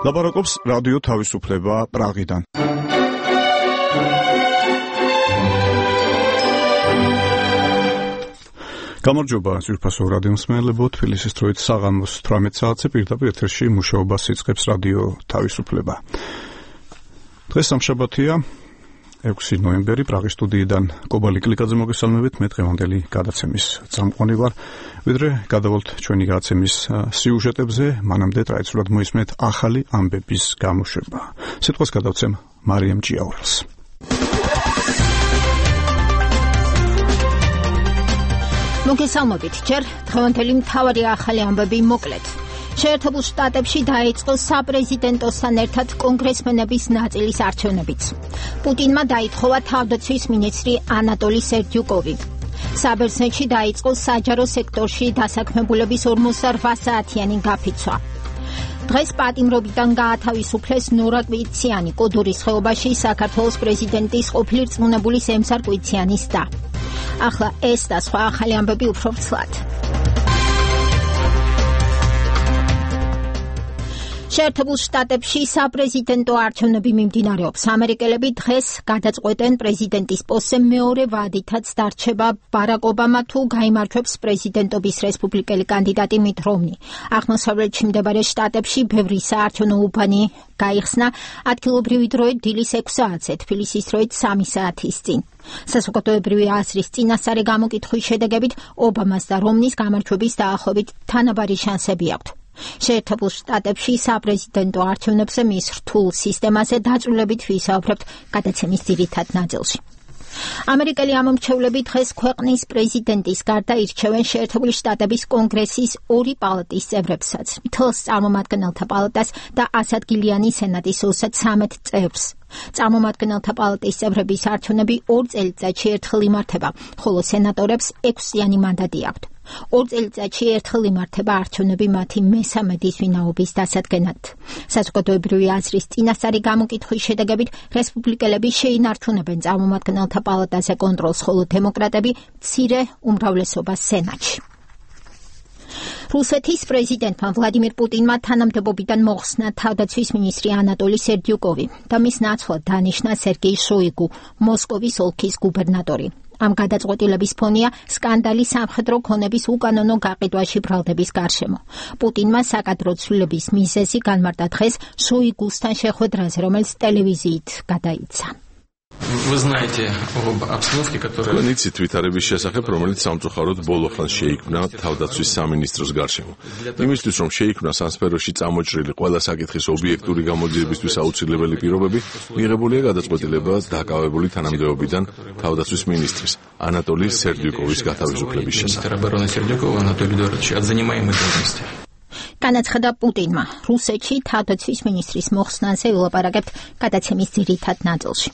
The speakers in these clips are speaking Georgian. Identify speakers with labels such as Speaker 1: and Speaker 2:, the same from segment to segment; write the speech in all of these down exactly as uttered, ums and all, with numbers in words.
Speaker 1: ლაპარაკობს რადიო თავისუფლება პრაღიდან. გამარჯობა ძვირფასო რადიო მსმენელებო, თბილისის დროით საღამოს თვრამეტ საათზე პირდაპირ ეთერში მუშაობას იწყებს რადიო თავისუფლება. დღეს სამშაბათია, ექვსი ნოემბერი, პრაღის სტუდიიდან კობალი კლიკაძე მოგესალმებით, მე დღევანდელი გადაცემის წამყვანი ვარ. ვიდრე გადავალთ ჩვენი გადაცემის სიუჟეტებზე, მანამდე ტრადიციულად მოისმენთ ახალი ამბების გამოშვება. სიტყვას გადავცემ მარიამ ჭიაურელს.
Speaker 2: მოგესალმებით, ჯერ დღევანდელი მთავარი ახალი ამბები მოკლედ. შეერთებულ შტატებში დაიწყო საპრეზიდენტოსთან ერთად კონგრესმენების ნაწილის არჩევნებიც. პუტინმა დაითხოვა თავდაცვის მინისტრი ანატოლი სერდიუკოვი. საბერძნეთში დაიწყო საჯარო სექტორში დასაქმებულების ორმოცდაოთხ საათიანი გაფიცვა. დღეს პატიმრობიდან გაათავისუფლეს ნორა კვიციანი, კოდურის ხეობაში საქართველოს პრეზიდენტის ყოფილი რწმუნებულის ემსარ კვიციანის და. ახლა ეს და სხვა ახალი ამბები უფრო ვრცლად. შეერთებულ შტატებში საპრეზიდენტო არჩევნები მიმდინარეობს. ამერიკელები დღეს გადაწყვეტენ პრეზიდენტის პოსტზე მეორე ვადითაც დარჩება ბარაკ ობამა თუ გაიმარჯვებს პრეზიდენტობის რესპუბლიკელი კანდიდატი მით რომნი. აღმოსავლეთში მდებარე შტატებში ბევრი საარჩევნო უბანი გაიხსნა ადგილობრივი დროით დილის ექვს საათზე, თბილისის დროით სამი საათის წინ. საზოგადოებრივი აზრის წინასწარი გამოკითხვის შედეგებით ობამას და რომნის გამარჯვების დაახლოებით თანაბარი შანსები აქვთ. შეერთებულ შტატებში საპრეზიდენტო არჩევნებზე მის რთულ სისტემაზე დაწვრილებით ვისაუბრებთ გადაცემის ძირითად ნაწილში. ამერიკელი ამომრჩევლები დღეს ქვეყნის პრეზიდენტის გარდა ირჩევენ შეერთებული შტატების კონგრესის ორი პალატის წევრებსაც, მთელს წარმომადგენელთა პალატას და ასადგილიანი სენატის ოცდათვრამეტ წევრს. წარმომადგენელთა პალატის წევრების არჩევნები ორ წელიწადში ერთხელ იმართება, ხოლო სენატორებს ექვსიანი მანდატი აქვთ. ორ წელიწადში ერთხელ იმართება არჩევნები მათი მესამედის ვინაობის დასადგენად. საზოგადოებრივი აზრის წინასწარი გამოკითხვის შედეგებით რესპუბლიკელები შეინარჩუნებენ წარმომადგენელთა პალატაზე კონტროლს, ხოლო დემოკრატები მცირე უმრავლესობას სენატში. რუსეთის პრეზიდენტმა ვლადიმირ პუტინმა თანამდებობიდან მოხსნა თავდაცვის მინისტრი ანატოლი სერდიუკოვი და მის ნაცვლად დანიშნა სერგეი შოიგუ, მოსკოვის ოლქის გუბერნატორი. ამ გადაწყვეტილების ფონია სკანდალი სამხედრო ქონების უკანონო გაყიდვაში ბრალდების გარშემო. პუტინმა საკადრო ცვლილების მიზეზი განმარტა დღეს შოიგუსთან შეხვედრაზე, რომელიც ტელევიზიით გადაიცა.
Speaker 3: Вы знаете об обстановке, которая...
Speaker 4: Თქვენ იცით ვითარების შესახებ, რომელიც სამწუხაროდ ბოლო ხანს შეიქმნა თავდაცვის სამინისტროს გარშემო. იმისთვის, რომ შეიქმნას ამ სფეროში წამოჭრილი ყველა საკითხის ობიექტური გამოძიებისთვის აუცილებელი პირობები, მიღებულია გადაწყვეტილება დაკავებული თანამდებობიდან თავდაცვის მინისტრის ანატოლი სერდიუკოვის გათავისუფლების შესახებ.
Speaker 2: განაცხადა პუტინმა. რუსეთში თავდაცვის მინისტრის მოხსნაზე ვილაპარაკებთ გადაცემის ძირითად ნაწილში.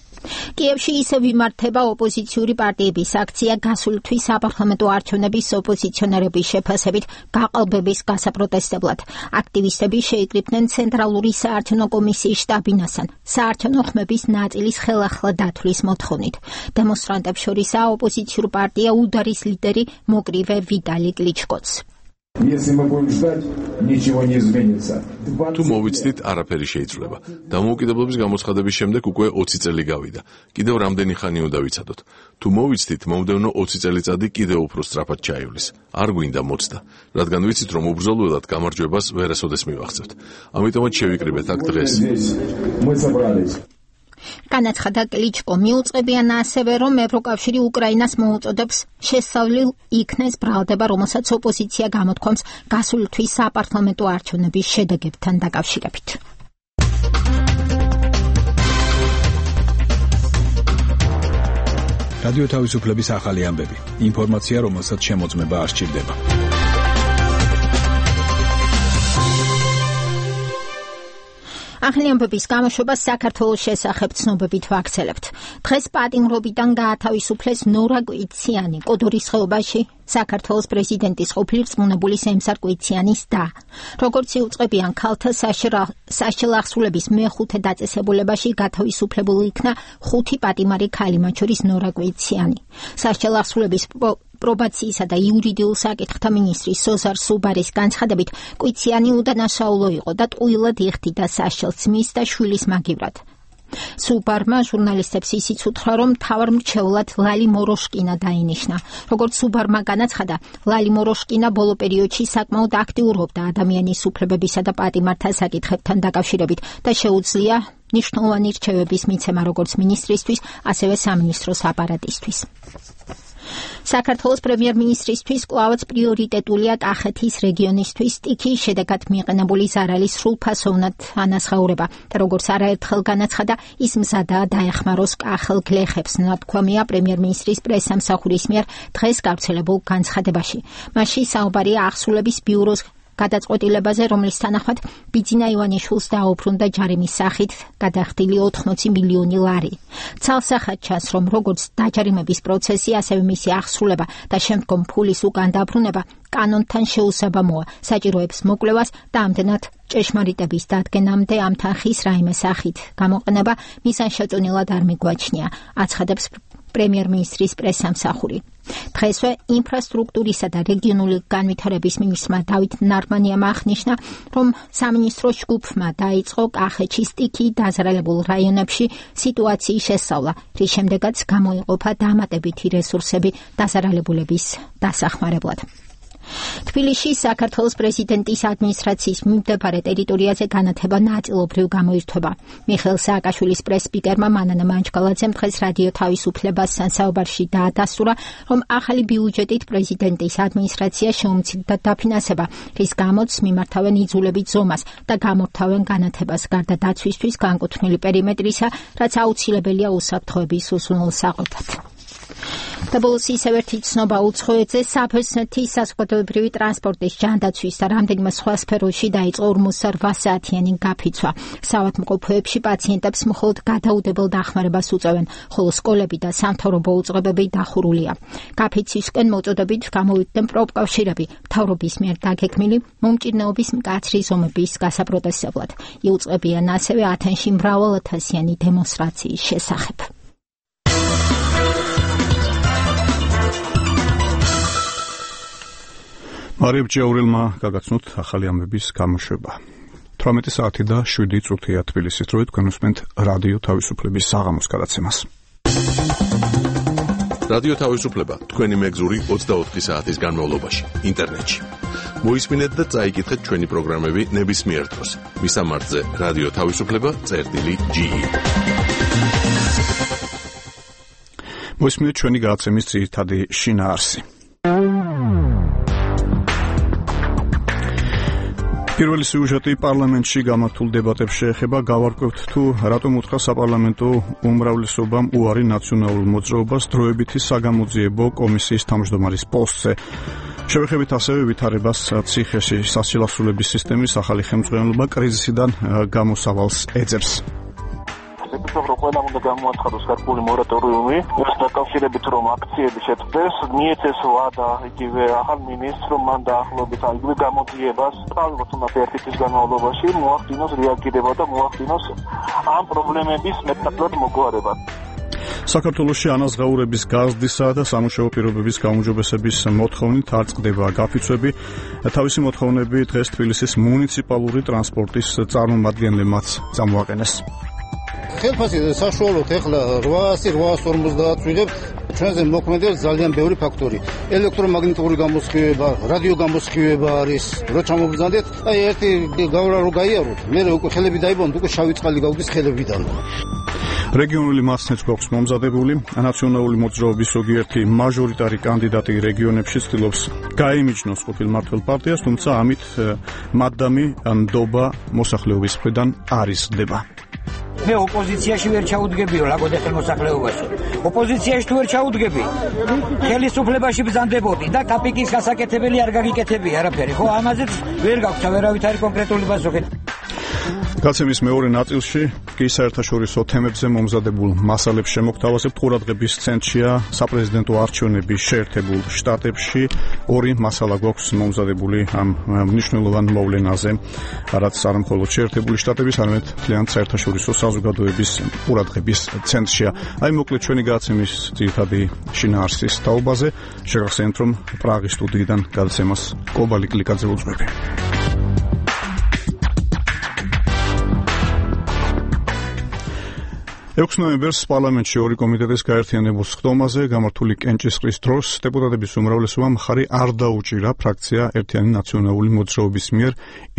Speaker 2: კიევში ისევ იმართება ოპოზიციური პარტიების აქცია გასული თვის საპარლამენტო არჩევნების ოპოზიციონერების შეფასებით გაყალბების გასაპროტესტებლად. აქტივისტები შეიკრიბნენ ცენტრალური საარჩევნო კომისიის შტაბ-ბინასთან საარჩევნო ხმების ნაწილის ხელახლა დათვლის მოთხოვნით. დემონსტრანტებს შორისაა ოპოზიციურ პარტია უდარის ლიდერი მოკრივე ვიტალი კლიჩკოც.
Speaker 4: თუ მოვიცდით, არაფერი შეიცვლება. დამოუკიდებლობის გამოცხადების შემდეგ უკვე ოცი წელი გავიდა. კიდევ რამდენი ხანი უნდა ვიცადოთ. თუ მოვიცდით, მომდევნო ოცი წელიწადი კიდევ უფრო სწრაფად ჩაივლის. არ გვინდა მოცდა, რადგან ვიცით, რომ უბრძოლველად გამარჯვებას ვერასოდეს მივახცევთ. ამიტომაც შევიკრიბეთ აქ დღეს.
Speaker 2: განაცხადა კლიჩკო. მიუწყებიან ასევე, რომ ევროკავშირი უკრაინას მოუწოდებს შესწავლილ იქნეს ბრალდება, რომელსაც ოპოზიცია გამოთქვამს გასული თვის საპარლამენტო არჩევნების შედეგებთან დაკავშირებით.
Speaker 5: რადიო თავისუფლების ახალი ამბები. ინფორმაცია, რომელსაც შემოწმება არ სჭირდება.
Speaker 2: ახალი ამბების გამოშვებას საქართველოს შესახებ ცნობებით ვაქცელებთ. დღეს პატიმრობიდან გაათავისუფლეს ნორა კვიციანი, კოდურის ხეობაში საქართველოს პრეზიდენტის ყოფილი რწმუნებულის ემსარ კვიციანის და. როგორც იუწყებიან ქალთა საშელახსრულების მეხუთე დაწესებულებაში გათავისუფლებული იქნა ხუთი პატიმარი ქალი, მათ შორის ნორა კვიციანი. საშელახსრულების პრობაციისა და იურიდიულ საკითხთა მინისტრის სოზარ სუბარის განცხადებით, კვიციანი უდანაშაულო იყო და ტყუილად იხდიდა სასჯელს მის და შვილის მაგივრად. სუბარმა ჟურნალისტებს ისიც უთხრა, რომ მთავარ მრჩევლად ლალი მოროშკინა დაინიშნა. როგორც სუბარმა განაცხადა, ლალი მოროშკინა ბოლო პერიოდში საკმაოდ აქტიურობდა ადამიანის უფლებებისა და პატიმართა საკითხებთან დაკავშირებით და შეუძლია ნიშნულოვანი რჩევების მიცემა როგორც მინისტრისთვის, ასევე სამინისტროს აპარატისთვის. საქართველოს პრემიერ-მინისტრისთვის კვლავაც პრიორიტეტულია კახეთის რეგიონისთვის სტიქიის შედეგად მიყენებული ზარალის სრულფასოვნად ანაზღაურება და როგორც არაერთხელ განაცხადა, ის მზადაა დაეხმაროს კახელ გლეხებს, ნათქვამია პრემიერ-მინისტრის პრესსამსახურის მიერ დღეს გავრცელებულ განცხადებაში. მასში საუბარია აღსრულების ბიუროს გადაწყვეტილებაზე, რომლის თანახმად ბიძინა ივანიშვილს დაუბრუნდა ჯარიმის სახით გადახდილი ოთხმოცი მილიონი ლარი. ცალსახად ჩანს, რომ როგორც დაჯარიმების პროცესი, ასევე მისი აღსრულება და შემდგომ ფულის უკან დაბრუნება კანონთან შეუსაბამოა, საჭიროებს მოკვლევას და ამდენად ჭეშმარიტების დადგენამდე ამ თანხის რაიმე სახით გამოყენება მიზანშეწონილად არ მიგვაჩნია, აცხადებს პრემიერ-მინისტრის პრესსამსახური. დღესვე ინფრასტრუქტურისა და რეგიონული განვითარების მინისტრმა დავით ნარმანიამ აღნიშნა, რომ სამინისტროს ჯგუფმა დაიწყო კახეთში სტიქიით დაზარალებულ რაიონებში სიტუაციის შესწავლა, რის შემდეგაც გამოიყოფა დამატებითი რესურსები დაზარალებულების დასახმარებლად. თბილისში საქართველოს პრეზიდენტის ადმინისტრაციის მიმდებარე ტერიტორიაზე განათება ნაწილობრივ გამოირთვება. მიხეილ სააკაშვილის პრეს-სპიკერმა მანანა მანჯგალაძემ დღეს რადიო თავისუფლებასთან საუბარში დაადასტურა, რომ ახალი ბიუჯეტით პრეზიდენტის ადმინისტრაცია შეუმცირდა დაფინანსება, რის გამოც მიმართავენ იძულებით ზომას და გამორთავენ განათებას გარდა დაცვისთვის განკუთვნილი პერიმეტრისა, რაც აუცილებელია უსაფრთხოების უზრუნველსაყოფად. და ბოლოს ისევ ერთი ცნობა უცხოეთზე, საბერძნეთის საზოგადოებრივი ტრანსპორტის ჯანდაცვის და რამდენიმე სხვა სფეროში დაიწყო ორმოცდაოთხ საათიანი გაფიცვა. საავადმყოფოებში პაციენტებს მხოლოდ გადაუდებელ დახმარებას უწევენ, ხოლო სკოლები და სამთავრობო უწყებები დახურულია. გაფიცვისკენ მოწოდებით გამოვიდნენ პროფკავშირები, მთავრობის მიერ დაგეგმილი მომჭირნეობის მკაცრი ზომების გასაპროტესტებლად. იუწყებიან ასევე ათენში მრავალათასიანი დემონსტრაციის შესახებ.
Speaker 1: მარიამ ჭიაურელმა გაგაცნოთ ახალი ამბების გამოშვება. თვრამეტი საათი და შვიდი წუთია თბილისის დროით, თქვენ უსმენთ რადიო თავისუფლების საღამოს გადაცემას.
Speaker 4: რადიო თავისუფლება თქვენი მეგზური ოცდაოთხი საათის განმავლობაში ინტერნეტში. მოისმინეთ და წაიკითხეთ ჩვენი პროგრამები ნებისმიერ დროს. მისამართზე რადიო თავისუფლება წერტილი ჯი ი.
Speaker 1: მოისმინეთ ჩვენი გადაცემის ძირითადი შინაარსი. პირველი სიუჟეტი პარლამენტში გამართულ დებატებს შეეხება. გავარკვევთ თუ რატომ უთხრა საპარლამენტო უმრავლესობამ უარი ნაციონალურ მოძრაობას დროებითი საგამოძიებო კომისიის თავმჯდომარის პოსტზე. შევეხებით ასევე ვითარებას ციხეში სასილასულების სისტემის ახალი ხელმძღვანელობა კრიზისიდან გამოსავალს ეძებს.
Speaker 6: რომ ყველამ უნდა გამოაცხადოს გარკვეული მორატორიუმი, ეს დაკავშირებით რომ აქციები შეწყდეს, მიეცეს ვადა იგივე ახალ მინისტრს, რომ მან დაახლოებით იგივე გამოძიებას თავის ერთი თვის განმავლობაში მოახდინოს რეაგირება და მოახდინოს ამ პრობლემების მეტნაკლებად მოგვარება.
Speaker 1: საქართველოში ანაზღაურების გაზრდისა და სამუშაო პირობების გაუმჯობესების მოთხოვნით არ წყდება გაფიცვები. თავისი მოთხოვნები დღეს თბილისის მუნიციპალური ტრანსპორტის წარმომადგენლებმაც წამოაყენეს.
Speaker 7: ხელფასი საშუალოდ ეხლა რვაასი რვაას ორმოცდაათ ვიღებთ. ჩვენზე მოქმედებს ძალიან ბევრი ფაქტორი. ელექტრომაგნიტური გამოსხივება, რადიო გამოსხივება არის. რო ჩამოვბრძანდეთ, აი ერთი გავრა რო გაიაროთ, მე უკვე ხელები დაიბანოთ, უკვე შავი წყალი გავდის ხელებიდან.
Speaker 1: რეგიონული მასნეც გვაქვს მომზადებული. ნაციონალური მოძრაობის ზოგიერთი მაჟორიტარი კანდიდატი რეგიონებში ცდილობს გაიმიჯნოს ყოფილ მმართველ პარტიას, თუმცა ამით მადამი ნდობა მოსახლეობის მხრიდან არ იზრდება.
Speaker 8: მე ოპოზიციაში ვერ ჩაუდგებიო ლაგოდე ხელმოსახლეობაში. ოპოზიციაში თუ ვერ ჩაუდგები, ხელისუფლებაში ბრძანდებოდი და კაპიკის გასაკეთებელი არ გაგიკეთები არაფერი. ხო, ამაზეც ვერ გაქვს ვერავით არის კონკრეტული პასუხი.
Speaker 1: გაცემის მეორე ნაწილში კი საერთაშორისო თემებზე მომზადებულ მასალებს შემოგთავაზებთ. ყურადღების ცენტრშია საპრეზიდენტო არჩევნების შეერთებულ შტატებში. ორი მასალა გვაქვს მომზადებული ამ მნიშვნელოვან მოვლენაზე, რაც არ მხოლოდ შეერთებული შტატების, არამედ მთლიან საერთაშორისო საზოგადოების ყურადღების ცენტრშია. აი მოკლედ ჩვენი გაცემის ძირითადი შინაარსის თაობაზე შეგახსენებთ, რომ პრაღის სტუდიიდან გადაცემას კობალი კლიკაძე უძღვები. ექვსი ნოემბერს პარლამენტში ორი კომიტეტის გაერთიანებულ სხდომაზე გამართული კენჭისყრის დროს დეპუტატების უმრავლესობამ მხარი არ დაუჭირა ფრაქცია ერთიანი ნაციონალური მოძრაობის მიერ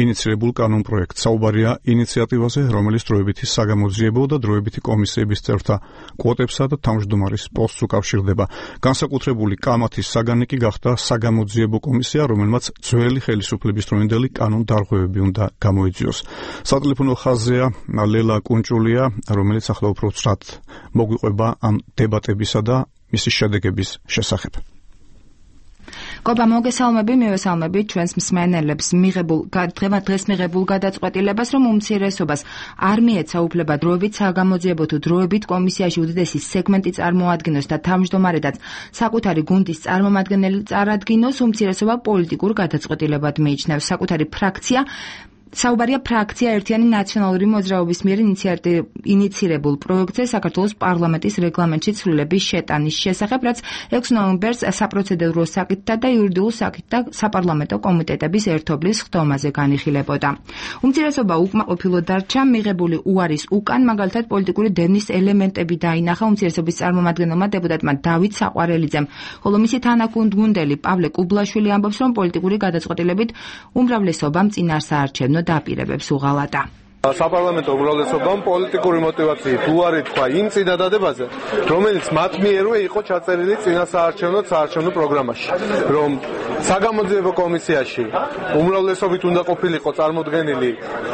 Speaker 1: ინიცირებულ კანონპროექტს. საუბარია ინიციატივაზე, რომელიც დროებითი საგამოძიებო და დროებითი კომისიების წევრთა კვოტებსა და თავმჯდომარის პოსტს უკავშირდება. განსაკუთრებული კამათის საგანი კი გახდა საგამოძიებო კომისია, რომელმაც ძველი ხელისუფლების დროინდელი კანონდარღვევები უნდა გამოიძიოს. სატელეფონო ხაზია ლელა კუნჭულია, რომელიც ახლა უფრო ცრად მოგვიყვება ამ დებატებისა და მისი შედეგების შესახებ.
Speaker 9: კობა მოგესალმები, მივესალმები ჩვენს მსმენელებს მიღებულ დღეს მიღებულ გადაწყვეტილებას, რომ უმცირესობას არ მიეცა უფლება დროებით საგამოძიებო თუ დროებით კომისიაში უდიდესი სეგმენტი წარმოადგინოს და თავმჯდომარედაც საკუთარი გუნდის წარმომადგენელი წარადგინოს, უმცირესობა პოლიტიკურ გადაწყვეტილებად მიიჩნევს. საკუთარი ფრაქცია საუბარია ფრაქცია ერთიანი ნაციონალური მოძრაობის მიერ ინიცირებულ პროექტზე საქართველოს პარლამენტის რეგლამენტში ცვლილების შეტანის შესახებ, რაც ექვსი ნოემბერს საპროცედურო საკითხთა და იურიდიულ საკითხთა საპარლამენტო კომიტეტების ერთობლის სხდომაზე განიხილებოდა. უმცირესობა უკმაყოფილო დარჩა, მიღებული უარის უკან, მაგალითად პოლიტიკური დევნის ელემენტები დაინახა უმცირესობის წარმომადგენელმა დეპუტატმა დავით საყვარელიძემ, ხოლო მისი თანაგუნდელი პავლე კუბლაშვილი ამბობს, რომ პოლიტიკური გადაწყვეტილებით უმრავლესობამ წინასაარჩევნო დაპირებებს უღალატა.
Speaker 10: საპარლამენტო უმრავლესობამ პოლიტიკური მოტივაციით უარი თქვა იმ წინადადებაზე, რომელიც მათ მიერვე იყო ჩაწერილი წინასაარჩევნო საარჩევნო პროგრამაში, რომ საგამოძიებო კომისიაში უმრავლესობით უნდა ყოფილიყო წარმოდგენილი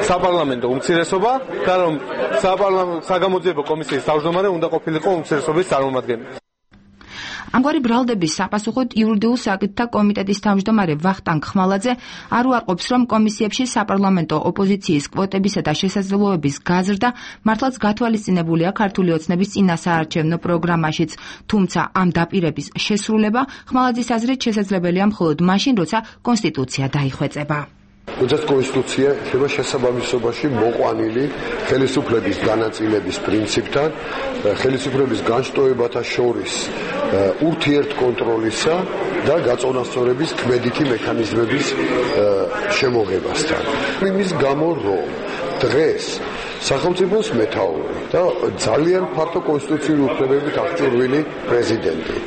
Speaker 10: საპარლამენტო უმცირესობა და რომ საგამოძიებო კომისიის თავმჯდომარე უნდა ყოფილიყო უმცირესობის წარმომადგენელი.
Speaker 9: ამგვარი ბრალდების საპასუხოდ იურიდიულ საკითხთა კომიტეტის თავმჯდომარე ვახტანგ ხმალაძე არ უარყოფს, რომ კომისიებში საპარლამენტო ოპოზიციის კვოტებისა და შესაძლებლობების გაზრდა მართლაც გათვალისწინებულია ქართული ოცნების წინასაარჩევნო პროგრამაშიც, თუმცა ამ დაპირების შესრულება ხმალაძის აზრით შესაძლებელია მხოლოდ მაშინ, როცა კონსტიტუცია დაიხვეწება.
Speaker 11: როდესაც კონსტიტუცია იქნება შესაბამისობაში მოყვანილი ხელისუფლების განაწილების პრინციპთან, ხელისუფლების განშტოებათა შორის ურთიერთკონტროლისა და გაწონასწორების ქმედითი მექანიზმების შემოღებასთან. იმის გამო, რომ დღეს სახელმწიფოს მეთაური და ძალიან ფართო კონსტიტუციური უფლებებით აღჭურვილი პრეზიდენტი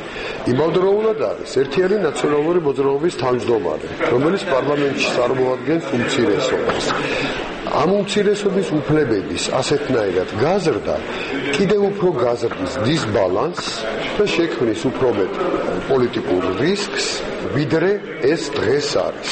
Speaker 11: იმავდროულად არის ერთიანი ნაციონალური მოძრაობის თავმჯდომარე, რომელიც პარლამენტში წარმოადგენს უმცირესობას. ამ უმცირესობის უფლებების ასეთნაირად გაზრდა კიდევ უფრო გაზრდის დისბალანსს და შექმნის უფრო მეტ პოლიტიკურ რისკს, ვიდრე ეს დღეს არის.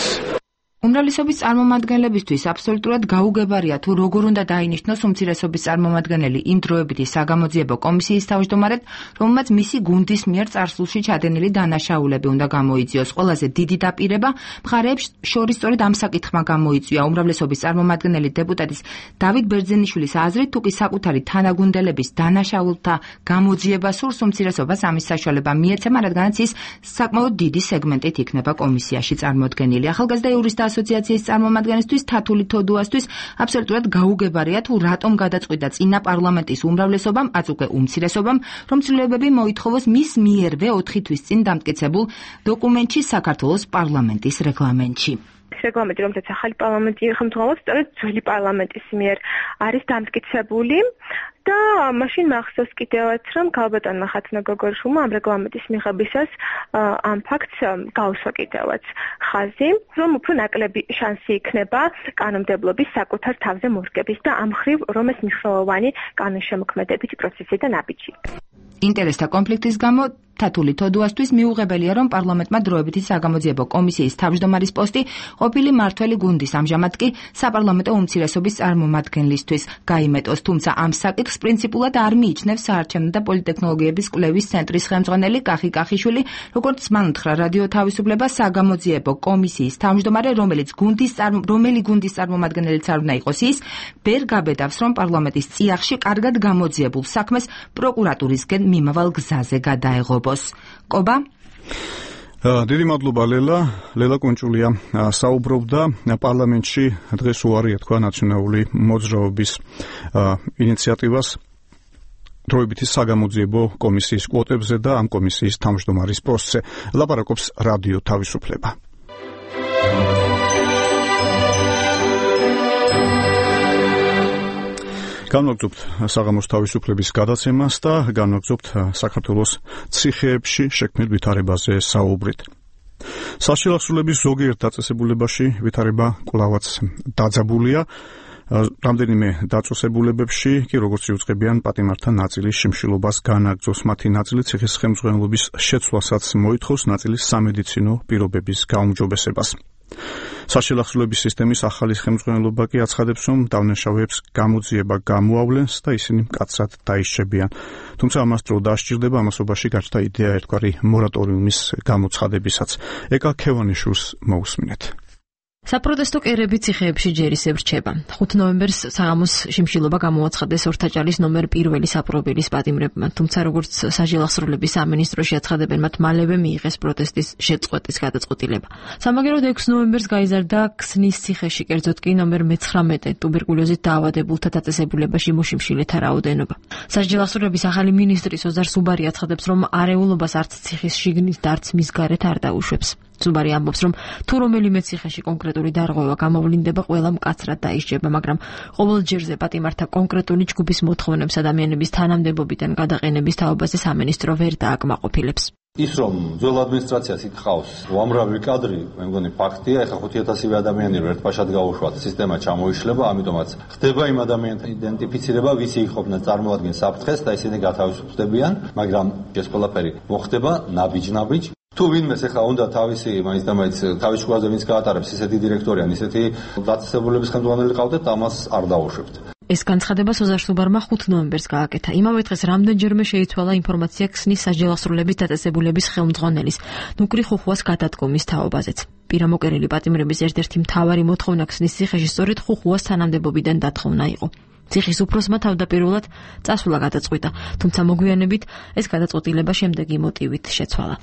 Speaker 9: უმრავლესობის წარმომადგენლებისთვის აბსოლუტურად გაუგებარია თუ როგორ უნდა დაინიშნოს უმცირესობის წარმომადგენელი იმ დროებითი საგამოძიებო კომისიის თავმჯდომარედ, რომელმაც მისი გუნდის მიერ წარსულში ჩადენილი დანაშაულები უნდა გამოიძიოს. ყველაზე დიდი დაპირება მხარეებს შორის სწორედ ამ საკითხმა გამოიწვია. უმრავლესობის წარმომადგენელი დეპუტატის დავით ბერძენიშვილის აზრით, თუ კი საკუთარი თანაგუნდელების დანაშაულთა გამოძიება სურს, უმცირესობას ამის საშუალება მიეცემა, რადგანაც ის საკმაოდ დიდი სეგმენტით იქნება კომისიაში წარმოდგენილი. ახალგაზრდა იურისტთა ასოციაციის წარმომადგენლისთვის თათული თოდუასთვის აბსოლუტურად გაუგებარია თუ რატომ გადაწყვიტა წინა პარლამენტის უმრავლესობამ, აც უკვე უმცირესობამ, რომ ცვლილებები მოითხოვოს მის მიერვე ოთხი თვის წინ დამტკიცებულ დოკუმენტში საქართველოს პარლამენტის რეგლამენტში.
Speaker 12: რეგლამენტი, რომელსაც ახალი პარლამენტი ხელმძღვანელობს, სწორედ ძველი პარლამენტის მიერ არის დამტკიცებული და მაშინ მახსოვს კიდევაც, რომ ქალბატონმა ხათუნა გოგორიშვილმა ამ რეგლამენტის მიღებისას ამ ფაქტს გაუსვა კიდევაც ხაზი, რომ უფრო ნაკლები შანსი იქნება კანონმდებლობის საკუთარ თავზე მორგების და ამ ხრივ რომ ეს მნიშვნელოვანი კანონშემოქმედებითი პროცესი და ნაბიჯი.
Speaker 9: ინტერესთა კონფლიქტის გამო თათული თოდუასთვის მიუღებელია, რომ პარლამენტმა დროებითი საგამოძიებო კომისიის თავმჯდომარის პოსტი ყოფილი მმართველი გუნდის ამჟამად კი საპარლამენტო უმცირესობის წარმომადგენლისთვის გაიმეტოს, თუმცა ამ საკითხს პრინციპულად არ მიიჩნევს საარჩევნო და პოლიტექნოლოგიების კვლევის ცენტრის ხელმძღვანელი კახი კახიშვილი, როგორც მან უთხრა რადიო თავისუფლება, საგამოძიებო კომისიის თავმჯდომარე, რომელიც გუნდის რომელი გუნდის წარმომადგენელიც არ უნდა იყოს ის, ვერ გაბედავს, რომ პარლამენტის წიაღში კარგად გამოძიებულ საქმეს პროკურატურისკენ მიმავალ გზაზე გადაეღობოს. კობა?
Speaker 1: დიდი მადლობა ლელა, ლელა კუნჭულია საუბრობდა პარლამენტში დღეს უარი ეთქვა ნაციონალური მოძრაობის ინიციატივას დროებითი საგამოძიებო კომისიის კვოტებზე და ამ კომისიის თავმჯდომარის პოსტზე. ლაპარაკობს რადიო თავისუფლება. განვაგრძობთ საღამოს თავისუფლების გადაცემას და განვაგრძობთ საქართველოს ციხეებში შექმნილ ვითარებაზე საუბრით. საშილახსოვრების ზოგიერთ დაწესებულებაში ვითარება კვლავაც დაძაბულია. რამდენიმე დაწესებულებებში კი როგორც იუწყებიან პატიმართა ნაწილის შიმშილობას განაგრძოს, მათი ნაწილი ციხის ხელმძღვანელობის შეცვლასაც მოითხოვს, ნაწილი სამედიცინო პირობების გაუმჯობესებას. საშილახსოვრების სისტემის ახალი ხელმძღვანელობა კი აცხადებს, რომ დავნაშავეებს გამოძიება გამოავლენს და ისინი მკაცრად დაიშჩებიან. თუმცა ამას დრო დასჭირდება, ამასობაში გაჩნდა იდეა ერთგვარი მორატორიუმის გამოცხადებისაც. ეკა ქევანიშვილს მოусმინეთ.
Speaker 13: საპროტესტო კერები ციხეებში ჯერ ისევ რჩება. ხუთი ნოემბერს საღამოს შიმშილობა გამოაცხადეს ორთაჭალის ნომერ პირველი საპრობილის პატიმრებმა, თუმცა როგორც საჯელახსოვრების სამინისტროში აცხადებენ, მათ მალევე მიიღეს პროტესტის შეწყვეტის გადაწყვეტილება. სამაგეროდ ექვსი ნოემბერს გაიზარდა ქსნის ციხეში, კერძოდ კი ნომერ მეცხრამეტე ტუბერკულოზით დაავადებულთა დაწესებულებაში მოშიმშილეთა რაოდენობა. საჯელახსოვრების ახალი მინისტრის ოზარ სუბარი აცხადებს, რომ არეულობას არც ციხის შიგნით და არც მის გარეთ არ დაუშვებს. სუბარი ამბობს, რომ თუ რომელიმე ციხეში კონკრეტული დარღვევა გამოვლინდება, ყველა მკაცრად დაიშჩება, მაგრამ ყოველ ჯერზე პატიმართა კონკრეტული ჯგუფის მოთხოვნებს ადამიანების თანამდებობიდან გადაყენების თაობაზე სამინისტრო ვერ დააკმაყოფილებს.
Speaker 14: ის რომ ძველ ადმინისტრაციას იკითხავს უამრავი კადრი, მე მგონი ფაქტია, ეხლა ხუთი ათასივე ადამიანი რო ერთპაშად გაუშვათ, სისტემა ჩამოიშლება, ამიტომაც ხდება იმ ადამიანთა იდენტიფიცირება, ვისი იყოფნა წარმოადგენს საფრთხეს და ისინი გათავისუფლდებიან, მაგრამ ეს ყველაფერი მოხდება ნაბიჯ-ნაბიჯ. თუ ვინმეს ახლა უნდა თავისი მაინც და მაინც თავის შუაზე ვინც გაატარებს ისეთი დირექტორი ან ისეთი დაწესებულების ხელმძღვანელი ყავდეთ, ამას არ დაუშვებთ.
Speaker 13: ეს განცხადება ოზარ სუბარმა ხუთი ნოემბერს გააკეთა. იმავე დღეს რამდენჯერმე შეიცვალა ინფორმაცია ქსნის საჯელახსოვრების დაწესებულების ხელმძღვანელის ნუკრი ხუხუას გადადგომის თაობაზეც. პირამოკერილი პატიმრების ერთ-ერთი მთავარი მოთხოვნა ქსნის ციხეში სწორედ ხუხუას თანამდებობიდან დათხოვნა იყო. ციხის უფროსმა თავდაპირველად წასვლა გადაწყვიტა, თუმცა მოგვიანებით ეს გადაწყვეტილება შემდეგი მოტივით შეცვალა.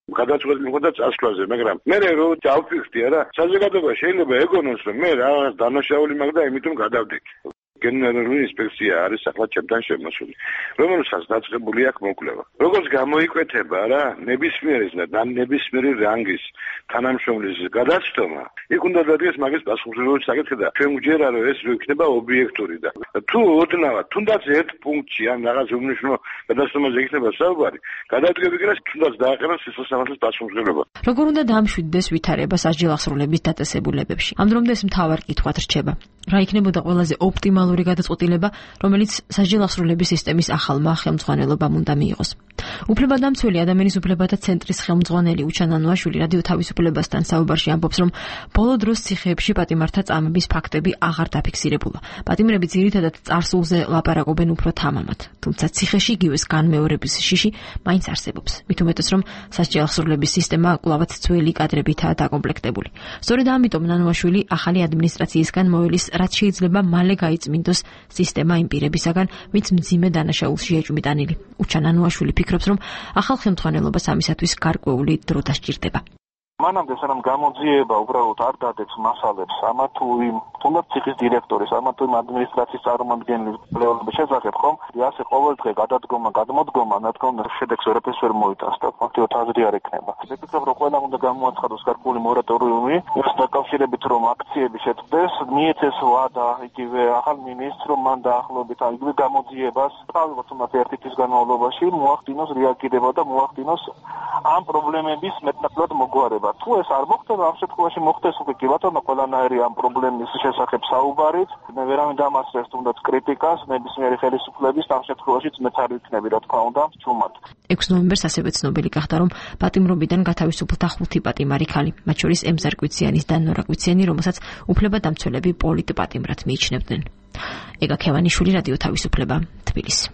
Speaker 15: გადაწყვეტილი მოხდა წასვლაზე, მაგრამ მე რო დავფიქრდი არა, საზოგადოება შეიძლება ეგონოს, რომ მე რაღაც დანაშაული მაქვს და იმიტომ გადავდექი. გენერალური ინსპექცია არის ახლა ჩემთან შემოსული, რომელსაც დაწყებული აქვს მოკვლევა. როგორც გამოიკვეთება რა, ნებისმიერი და ნებისმიერი რანგის თანამშრომლის გადაცდომა, იქ უნდა დადგეს მაგის პასუხისმგებლობის საკითხი და ჩვენ გვჯერა, რომ ეს რო იქნება ობიექტური და თუ ოდნავ თუნდაც ერთ პუნქტში ან რაღაც უმნიშვნელო გადაცდომაზე იქნება საუბარი, გადადგები კი რა თუნდაც დააყენოს სიცოცხლის პასუხისმგებლობა.
Speaker 13: როგორ უნდა დამშვიდდეს ვითარება საჯელახსოვრების დაწესებულებებში? ამ დრომდე ეს მთავარ კითხვად რჩება. რა იქნებოდა ყველაზე ოპტიმალური გადაწყვეტილება, რომელიც საჯელახსოვრების სისტემის ახალმა ხელმძღვანელობამ უნდა მიიღოს? უფლებადამცველი ადამიანის უფლებათა ცენტრის ხელმძღვანელი უჩან ანუაშვილი რადიო თავისუფლებასთან საუბარში ამბობს, რომ ბოლო დროს ციხეებში პატიმართა წამების ფაქტები აღარ დაფიქსირებულა. პატიმრები ძირითადად წარსულზე ლაპარაკობენ უფრო თამამად, თუმცა ციხეში იგივეს განმეორების შიში მაინც არსებობს. მით უმეტეს, რომ საჯელახსოვრების სისტემა კვლავაც ძველი კადრებითაა დაკომპლექტებული. სწორედ ამიტომ ნანუაშვილი ახალი ადმინისტრაციისგან მოელის, რაც შეიძლება მალე გაიწმინდოს სისტემა იმ პირებისაგან, ვინც მძიმე დანაშაულში ეჭვმიტანილი. უჩან ანუაშვილი ფიქრობს, რომ ახალ ხელმძღვანელობას ამისათვის გარკვეული დრო დასჭირდება.
Speaker 6: მანამდე სანამ გამოძიება უბრალოდ არ დადებს მასალებს ამა თუ იმ თუნდაც ციხის დირექტორის, ამა თუ იმ ადმინისტრაციის წარმომადგენლის კვლევების შესახებ, ხომ? ასე ყოველდღე გადადგომა, გადმოდგომა, რა თქმა უნდა, შედეგს ვერაფერს ვერ მოიტანს და ფაქტობრივად აზრი არ ექნება. ვფიქრობ, რომ ყველამ უნდა გამოაცხადოს გარკვეული მორატორიუმი, ის დაკავშირებით რომ აქციები შეწყდეს, მიეცეს ვადა იგივე ახალ მინისტრს, რომ მან დაახლოებით იგივე გამოძიებას, თავისუფლად თუნდაც ერთი თვის განმავლობაში მოახდინოს რეაგირება და მოახდინოს ამ პრობლემების მეტნაკლებად მოგვარება. ხდება. თუ ეს არ მოხდება, ამ შემთხვევაში მოხდეს უკვე კი ბატონო ყველანაირი ამ პრობლემის შესახებ საუბარით. მე ვერავინ დამასწრებს თუნდაც კრიტიკას, ნებისმიერი ხელისუფლების ამ შემთხვევაში მეც არ ვიქნები, რა თქმა უნდა, ჩუმად.
Speaker 13: ექვსი ნოემბერს ასევე ცნობილი გახდა, რომ პატიმრობიდან გათავისუფლდა ხუთი პატიმარი ქალი, მათ შორის ემზარ კვიციანის და ნორა კვიციანი, რომელსაც უფლებადამცველები პოლიტპატიმრად მიიჩნევდნენ. ეგა ქევანიშვილი, რადიო თავისუფლება, თბილისი.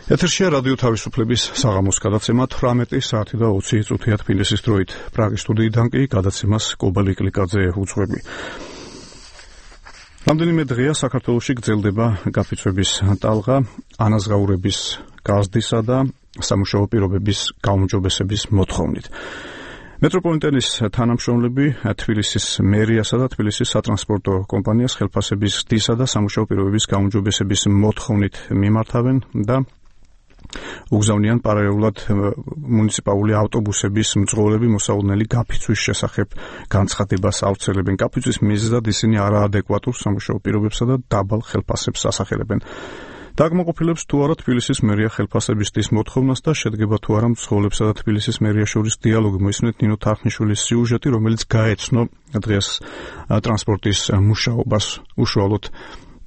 Speaker 1: ეთერშია რადიო თავისუფლების საღამოს გადაცემა თვრამეტი საათი და ოცი წუთია თბილისის დროით. პრაღის სტუდიიდან კი გადაცემას კობალი კლიკაძე უძღვები. რამდენიმე დღეა საქართველოში გრძელდება გაფიცვების ტალღა, ანაზღაურების გაზრდისა და სამუშაო პირობების გაუმჯობესების მოთხოვნით. მეტროპოლიტენის თანამშრომლები თბილისის მერიასა და თბილისის სატრანსპორტო კომპანიას ხელფასების ზრდისა და სამუშაო პირობების გაუმჯობესების მოთხოვნით მიმართავენ და უგზავნიან პარალელურად მუნიციპალური ავტობუსების მძღოლები მოსავალნელი გაფიცვის შესახებ განცხადებას ავრცელებენ. გაფიცვის მიზეზად ისინი არაადეკვატურ სამუშაო პირობებსა და დაბალ ხელფასებს ასახელებენ. დაგმოყოფილებს თუ არა თბილისის მერია ხელფასების ზრდის მოთხოვნას და შედგება თუ არა მძღოლებსა და თბილისის მერიას შორის დიალოგი. მოისმენთ ნინო თარხნიშვილის სიუჟეტი, რომელიც გაეცნო დღეს ტრანსპორტის მუშაობას უშუალოდ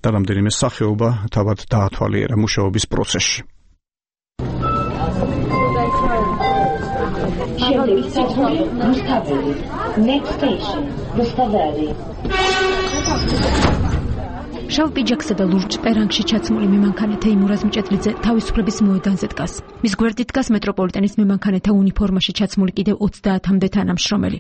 Speaker 1: და რამდენიმე სახეობა თავად დაათვალიერა მუშაობის პროცესში.
Speaker 16: Next station, Rustaveli.
Speaker 17: შავ პიჯაკსა და ლურჯ პერანგში ჩაცმული მემანქანე თეიმურაზ მჭედლიძე თავისუფლების მოედანზე დგას. მის გვერდით დგას მეტროპოლიტენის მემანქანეთა უნიფორმაში ჩაცმული კიდევ ოცდაათამდე თანამშრომელი.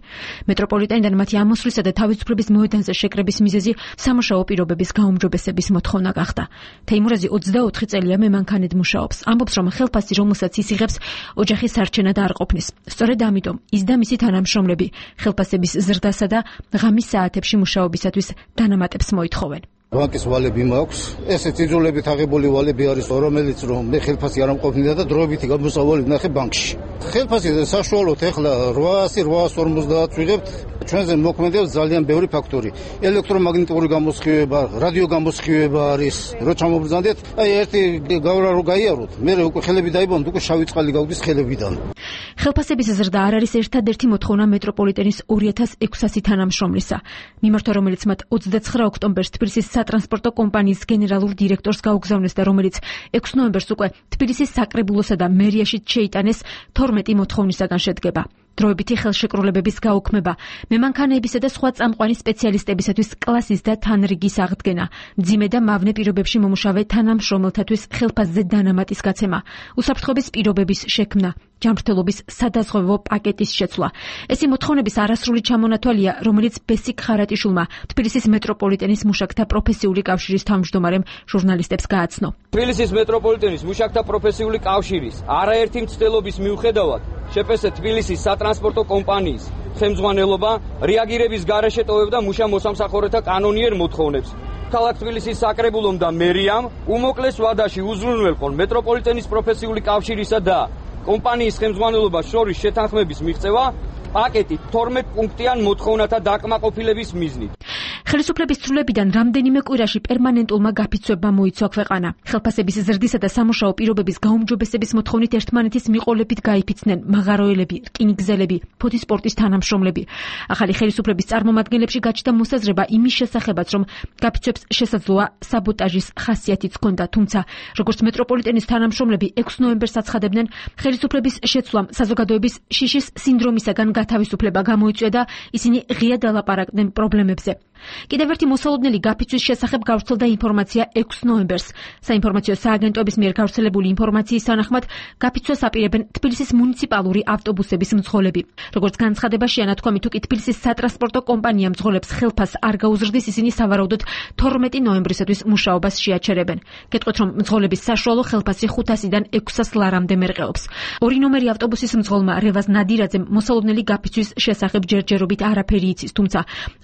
Speaker 17: მეტროპოლიტენიდან მათი ამოსვლისა და თავისუფლების მოედანზე შეკრების მიზეზი სამუშაო პირობების გაუმჯობესების მოთხოვნა გახდა. თეიმურაზი ოცდაოთხი წელია მემანქანედ მუშაობს. ამბობს, რომ ხელფასი, რომელსაც ის იღებს, ოჯახის სარჩენად არ ყოფნის. სწორედ ამიტომ ის და მისი თანამშრომლები ხელფასების ზრდასა და ღამის საათებში მუშაობისათვის დანამატებს მოითხოვენ.
Speaker 7: ბანკის ვალები მაქვს. ესე წიძულებით აღებული ვალები არის, რომელიც რომ მე ხელფასი არ ამყოფნიდა და დროებითი გამოსავალი ვნახე ბანკში. ხელფასი საშუალოდ ეხლა რვაასი რვაას ორმოცდაათ ვიღებთ. ჩვენზე მოქმედებს ძალიან ბევრი ფაქტორი. ელექტრომაგნიტური გამოსხივება, რადიო გამოსხივება არის. რო ჩამობრძანდეთ, აი ერთი გავრა რო გაიაროთ, მე უკვე ხელები დაიბანოთ, უკვე შავი წყალი გავდის ხელებიდან.
Speaker 17: ხელფასების ზრდა არ არის ერთადერთი მოთხოვნა მეტროპოლიტენის ორი ათას ექვსასი თანამშრომლისა. მიმართვა, რომელიც მათ ოცდაცხრა ოქტომბერს თბილისის სატრანსპორტო კომპანიის გენერალურ დირექტორს გაუგზავნეს და რომელიც ექვსი ნოემბერს უკვე თბილისის საკრებულოსა და მერიაში შეიტანეს თორმეტი მოთხოვნისაგან შედგება. დროებითი ხელშეკრულებების გაუქმება, მემანქანეებისა და სხვა წამყვანი სპეციალისტებისათვის კლასის და თანრიგის აღდგენა, მძიმე და მავნე პირობებში მომუშავე თანამშრომელთათვის ხელფასზე დანამატის გაცემა, უსაფრთხოების პირობების შექმნა, ჯანმრთელობის სადაზღვევო პაკეტის შეცვლა. ეს მოთხოვნების არასრული ჩამონათვალია, რომელიც ბესიკ ხარატიშვილმა, თბილისის მეტროპოლიტენის მუშაკთა პროფესიული კავშირის თავმჯდომარემ ჟურნალისტებს გააცნო.
Speaker 18: თბილისის მეტროპოლიტენის მუშაკთა პროფესიული კავშირის არაერთი მცდელობის მიუხედავად შეპესე თბილისის სატრანსპორტო კომპანიის ხელმძღვანელობა რეაგირების გარეშე ტოვებდა მუშა მოსამსახურეთა კანონიერ მოთხოვნებს. ქალაქ თბილისის საკრებულომ და მერიამ უმოკლეს ვადაში უზრუნველყონ მეტროპოლიტენის პროფესიული კავშირისა და კომპანიის ხელმძღვანელობას შორის შეთანხმების მიღწევა პაკეტი თორმეტ პუნქტიან მოთხოვნათა დაკმაყოფილების მიზნით.
Speaker 17: ხელისუფლების ცვლილებიდან რამდენიმე კვირაში პერმანენტულმა გაფიცვებმა მოიცვა ქვეყანა. ხელფასების ზრდისა და სამუშაო პირობების გაუმჯობესების მოთხოვნით ერთმანეთის მიყოლებით გაიფიცნენ მაღაროელები, რკინიგზელები, ფოთისპორტის თანამშრომლები. ახალი ხელისუფლების წარმომადგენლებში გაჩნდა მოსაზრება იმის შესახებაც, რომ გაფიცვებს შესაძლოა საბოტაჟის ხასიათიც ჰქონდა, თუმცა როგორც მეტროპოლიტენის თანამშრომლები ექვსი ნოემბერს აცხადებდნენ, ხელისუფლების შეცვლამ საზოგადოების შიშის სინდრომისაგან გათავისუფლება გამოიწვია და ისინი ღიად ალაპარაკდნენ პრობლემებზე. კიდევ ერთი მოსალოდნელი გაფიცვის შესახებ გავრცელდა ინფორმაცია ექვსი ნოემბერს. საინფორმაციო სააგენტოების მიერ გავრცელებული ინფორმაციის თანახმად გაფიცვას აპირებენ თბილისის მუნიციპალური ავტობუსების მძღოლები. როგორც განცხადება შეანათქვამი, თუ კი თბილისის სატრანსპორტო კომპანია მძღოლებს ხელფასს არ გაუზრდის, ისინი სავარაუდოდ თორმეტი ნოემბრისათვის მუშაობას შეაჩერებენ. გეტყვით, რომ მძღოლების საშუალო ხელფასი ხუთასიდან ექვსას ლარამდე მერყეობს. ორი ნომერი ავტობუსის მძღოლმა რევაზ ნადირაძემ მოსალოდნელი გაფიცვის შესახებ ჯერჯერობით არაფერი იცის, თუმცა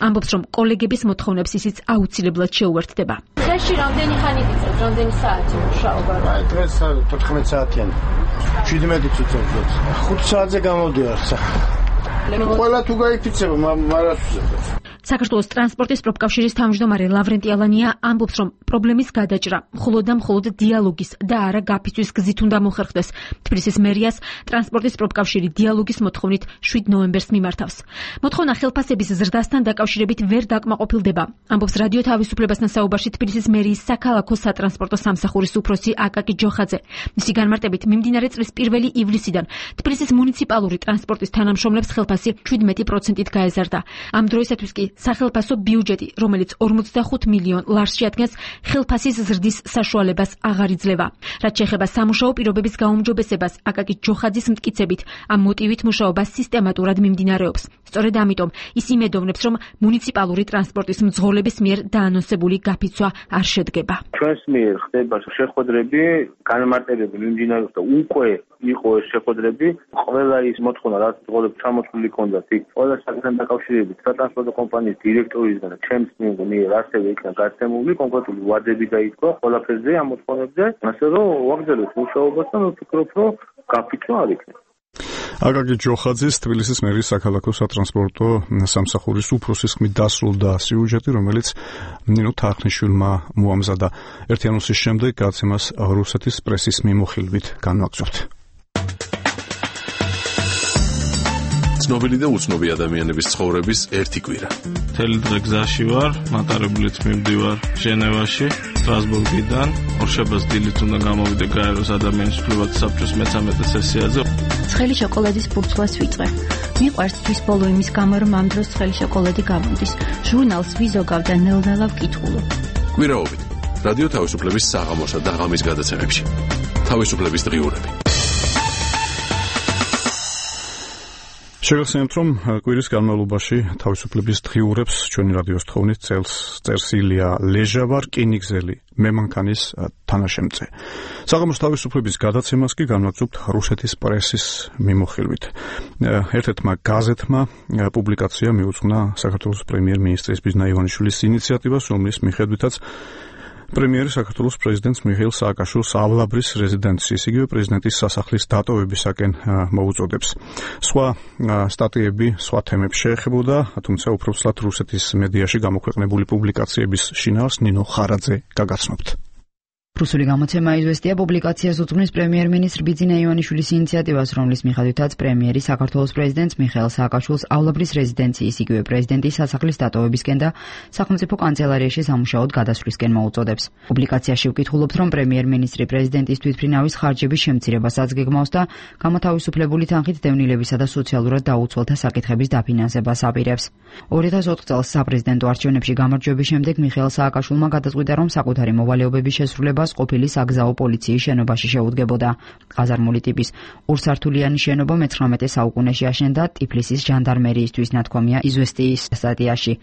Speaker 17: ამბობს, რომ კოლეგების მოთხოვნებს ისიც აუცილებლად შეუერთდება.
Speaker 16: დღეში რამდენი ხანი გიწევთ, რამდენი საათი მუშაობა?
Speaker 7: აი დღეს თოთხმეტ საათიანი. შვიდმეტი წუთი. ხუთ საათზე გამოვდივარ სახე. ყველა თუ გაიფიცება, მარასუზებს.
Speaker 17: საქართველოს ტრანსპორტის პროფკავშირის თავმჯდომარე ლავრენტი ალანია ამბობს, რომ პრობლემის გადაჭრა მხოლოდ და მხოლოდ დიალოგის და არა გაფიცვის გზით უნდა მოხერხდეს. თბილისის მერიას ტრანსპორტის პროფკავშირი დიალოგის მოთხოვნით შვიდ ნოემბერს მიმართავს. მოთხოვნა ხელფასების ზრდასთან დაკავშირებით ვერ დაკმაყოფილდება. ამბობს რადიო თავისუფლებასთან საუბარში თბილისის მერიის საქალაქო სატრანსპორტო სამსახურის უფროსი აკაკი ჯოხაძე. მისი განმარტებით მიმდინარე წლის პირველი ივლისიდან თბილისის მუნიციპალური ტრანსპორტის თანამშრომლებს ხელფასი შვიდმეტი პროცენტით გაეზარდა. ამ დროისათვის კი სახელფასო ბიუჯეტი, რომელიც ორმოცდახუთ მილიონ ლარს შეადგენს, ხელფასის ზრდის საშუალებას აღარ იძლევა. რაც შეეხება სამუშაო პირობების გაუმჯობესებას, აკაკი ჯოხაძის მტკიცებით, ამ მოტივით მუშაობა სისტემატურად მიმდინარეობს. სწორედ ამიტომ ის იმედოვნებს, რომ მუნიციპალური ტრანსპორტის მძღოლების მიერ დაანონსებული გაფიცვა არ შედგება.
Speaker 6: ჩვენს მიერ ხდება შეხვედრები, განმარტებები მიმდინარეობს და უკვე იყო ეს შეხვედრები. ყველა ის მოთხოვნა, რაც მძღოლებს ჩამოთვლილი ჰქონდათ, იქ ყველა საკითხთან დაკავშირებით სატრანსპორტო კომპანიის დირექტორისგან და ჩემს მიერ ასევე იქნა გაცემული კონკრეტული ვადები დაიწყო ყველაფერზე ამ მოთხოვნებზე, ასე რომ ვაგრძელოთ მუშაობას და ვფიქრობ, რომ გაფიცვა არ იქნება.
Speaker 1: აკაკი ჯოხაძის თბილისის მერიის საქალაქო სატრანსპორტო სამსახურის უფროსის ხმით დასრულდა სიუჟეტი, რომელიც ნინო თახნიშვილმა მოამზადა. ერთი ანონსის შემდეგ გაცემას რუსეთის პრესის მიმოხილვით განვაგრძობთ.
Speaker 4: ცნობილი და უცნობი ადამიანების ცხოვრების ერთი კვირა.
Speaker 19: მთელი დღე გზაში ვარ, მატარებლით მივდივარ ჟენევაში, სტრასბურგიდან. ორშაბათს დილით უნდა გამოვიდე გაეროს ადამიანის უფლებათა საბჭოს მეცამეტე სესიაზე.
Speaker 20: ცხელი შოკოლადის ფურცლას ვიწყე. მიყვარს თვის ბოლო იმის გამო, რომ ამ დროს ცხელი შოკოლადი გამოდის. ჟურნალს ვიზოგავ და ნელ-ნელა ვკითხულობ.
Speaker 4: კვირაობით რადიო თავისუფლების საღამოსა და ღამის გადაცემებში. თავისუფლების დღიურები.
Speaker 1: შეგახსენებთ, რომ კვირის განმავლობაში თავისუფლების დღიურებს ჩვენი რადიოს თხოვნით წელს წერს ილია ლეჟავა, რკინიგზელი მემანქანის თანაშემწე. საღამოს თავისუფლების გადაცემას კი განვაგრძობთ რუსეთის პრესის მიმოხილვით. ერთ-ერთმა გაზეთმა პუბლიკაცია მიუძღვნა საქართველოს პრემიერ-მინისტრის ბიზნა ივანიშვილის ინიციატივას, რომლის მიხედვითაც პრემიერი საქართველოს პრეზიდენტს მიხეილ სააკაშვილს ავლაბრის რეზიდენციის, იგივე პრეზიდენტის სასახლის დატოვებისაკენ მოუწოდებს. სხვა სტატიები სხვა თემებს შეეხებოდა, თუმცა უფრო ცლად რუსეთის მედიაში გამოქვეყნებული პუბლიკაციების შინაარს ნინო ხარაძე გაგაცნობთ.
Speaker 9: რუსული გამოცემა იზვესტია პუბლიკაციას უძღვნის პრემიერ-მინისტრ ბიძინა ივანიშვილის ინიციატივას, რომლის მიხედვითაც პრემიერი საქართველოს პრეზიდენტს მიხეილ სააკაშვილს ავლაბრის რეზიდენციის, იგივე პრეზიდენტის სასახლის დატოვებისკენ და სახელმწიფო კანცელარიაში სამუშაოდ გადასვლისკენ მოუწოდებს. პუბლიკაციაში ვკითხულობთ, რომ პრემიერ-მინისტრი პრეზიდენტის თვითმფრინავის ხარჯების შემცირებასაც გეგმავს და გამოთავისუფლებული თანხით დევნილებისა და სოციალურად დაუცველთა საკითხების დაფინანსებას აპირებს. ორი ათას ოთხ წელს საპრეზიდენტო არჩევნებში გამარჯვების შემდეგ მიხეილ სააკაშვილმა გადაწყვიტა, რომ საკუთარი მოვალეობების შესრულება ყოფილი საგზაო პოლიციის შენობაში შეუდგებოდა. ყაზარმული ტიპის ორსართულიანი შენობა მეცხრამეტე საუკუნეში აშენდა ტიფლისის ჟანდარმერიისთვის, ნათქვამია იზვესტიის სტატიაში.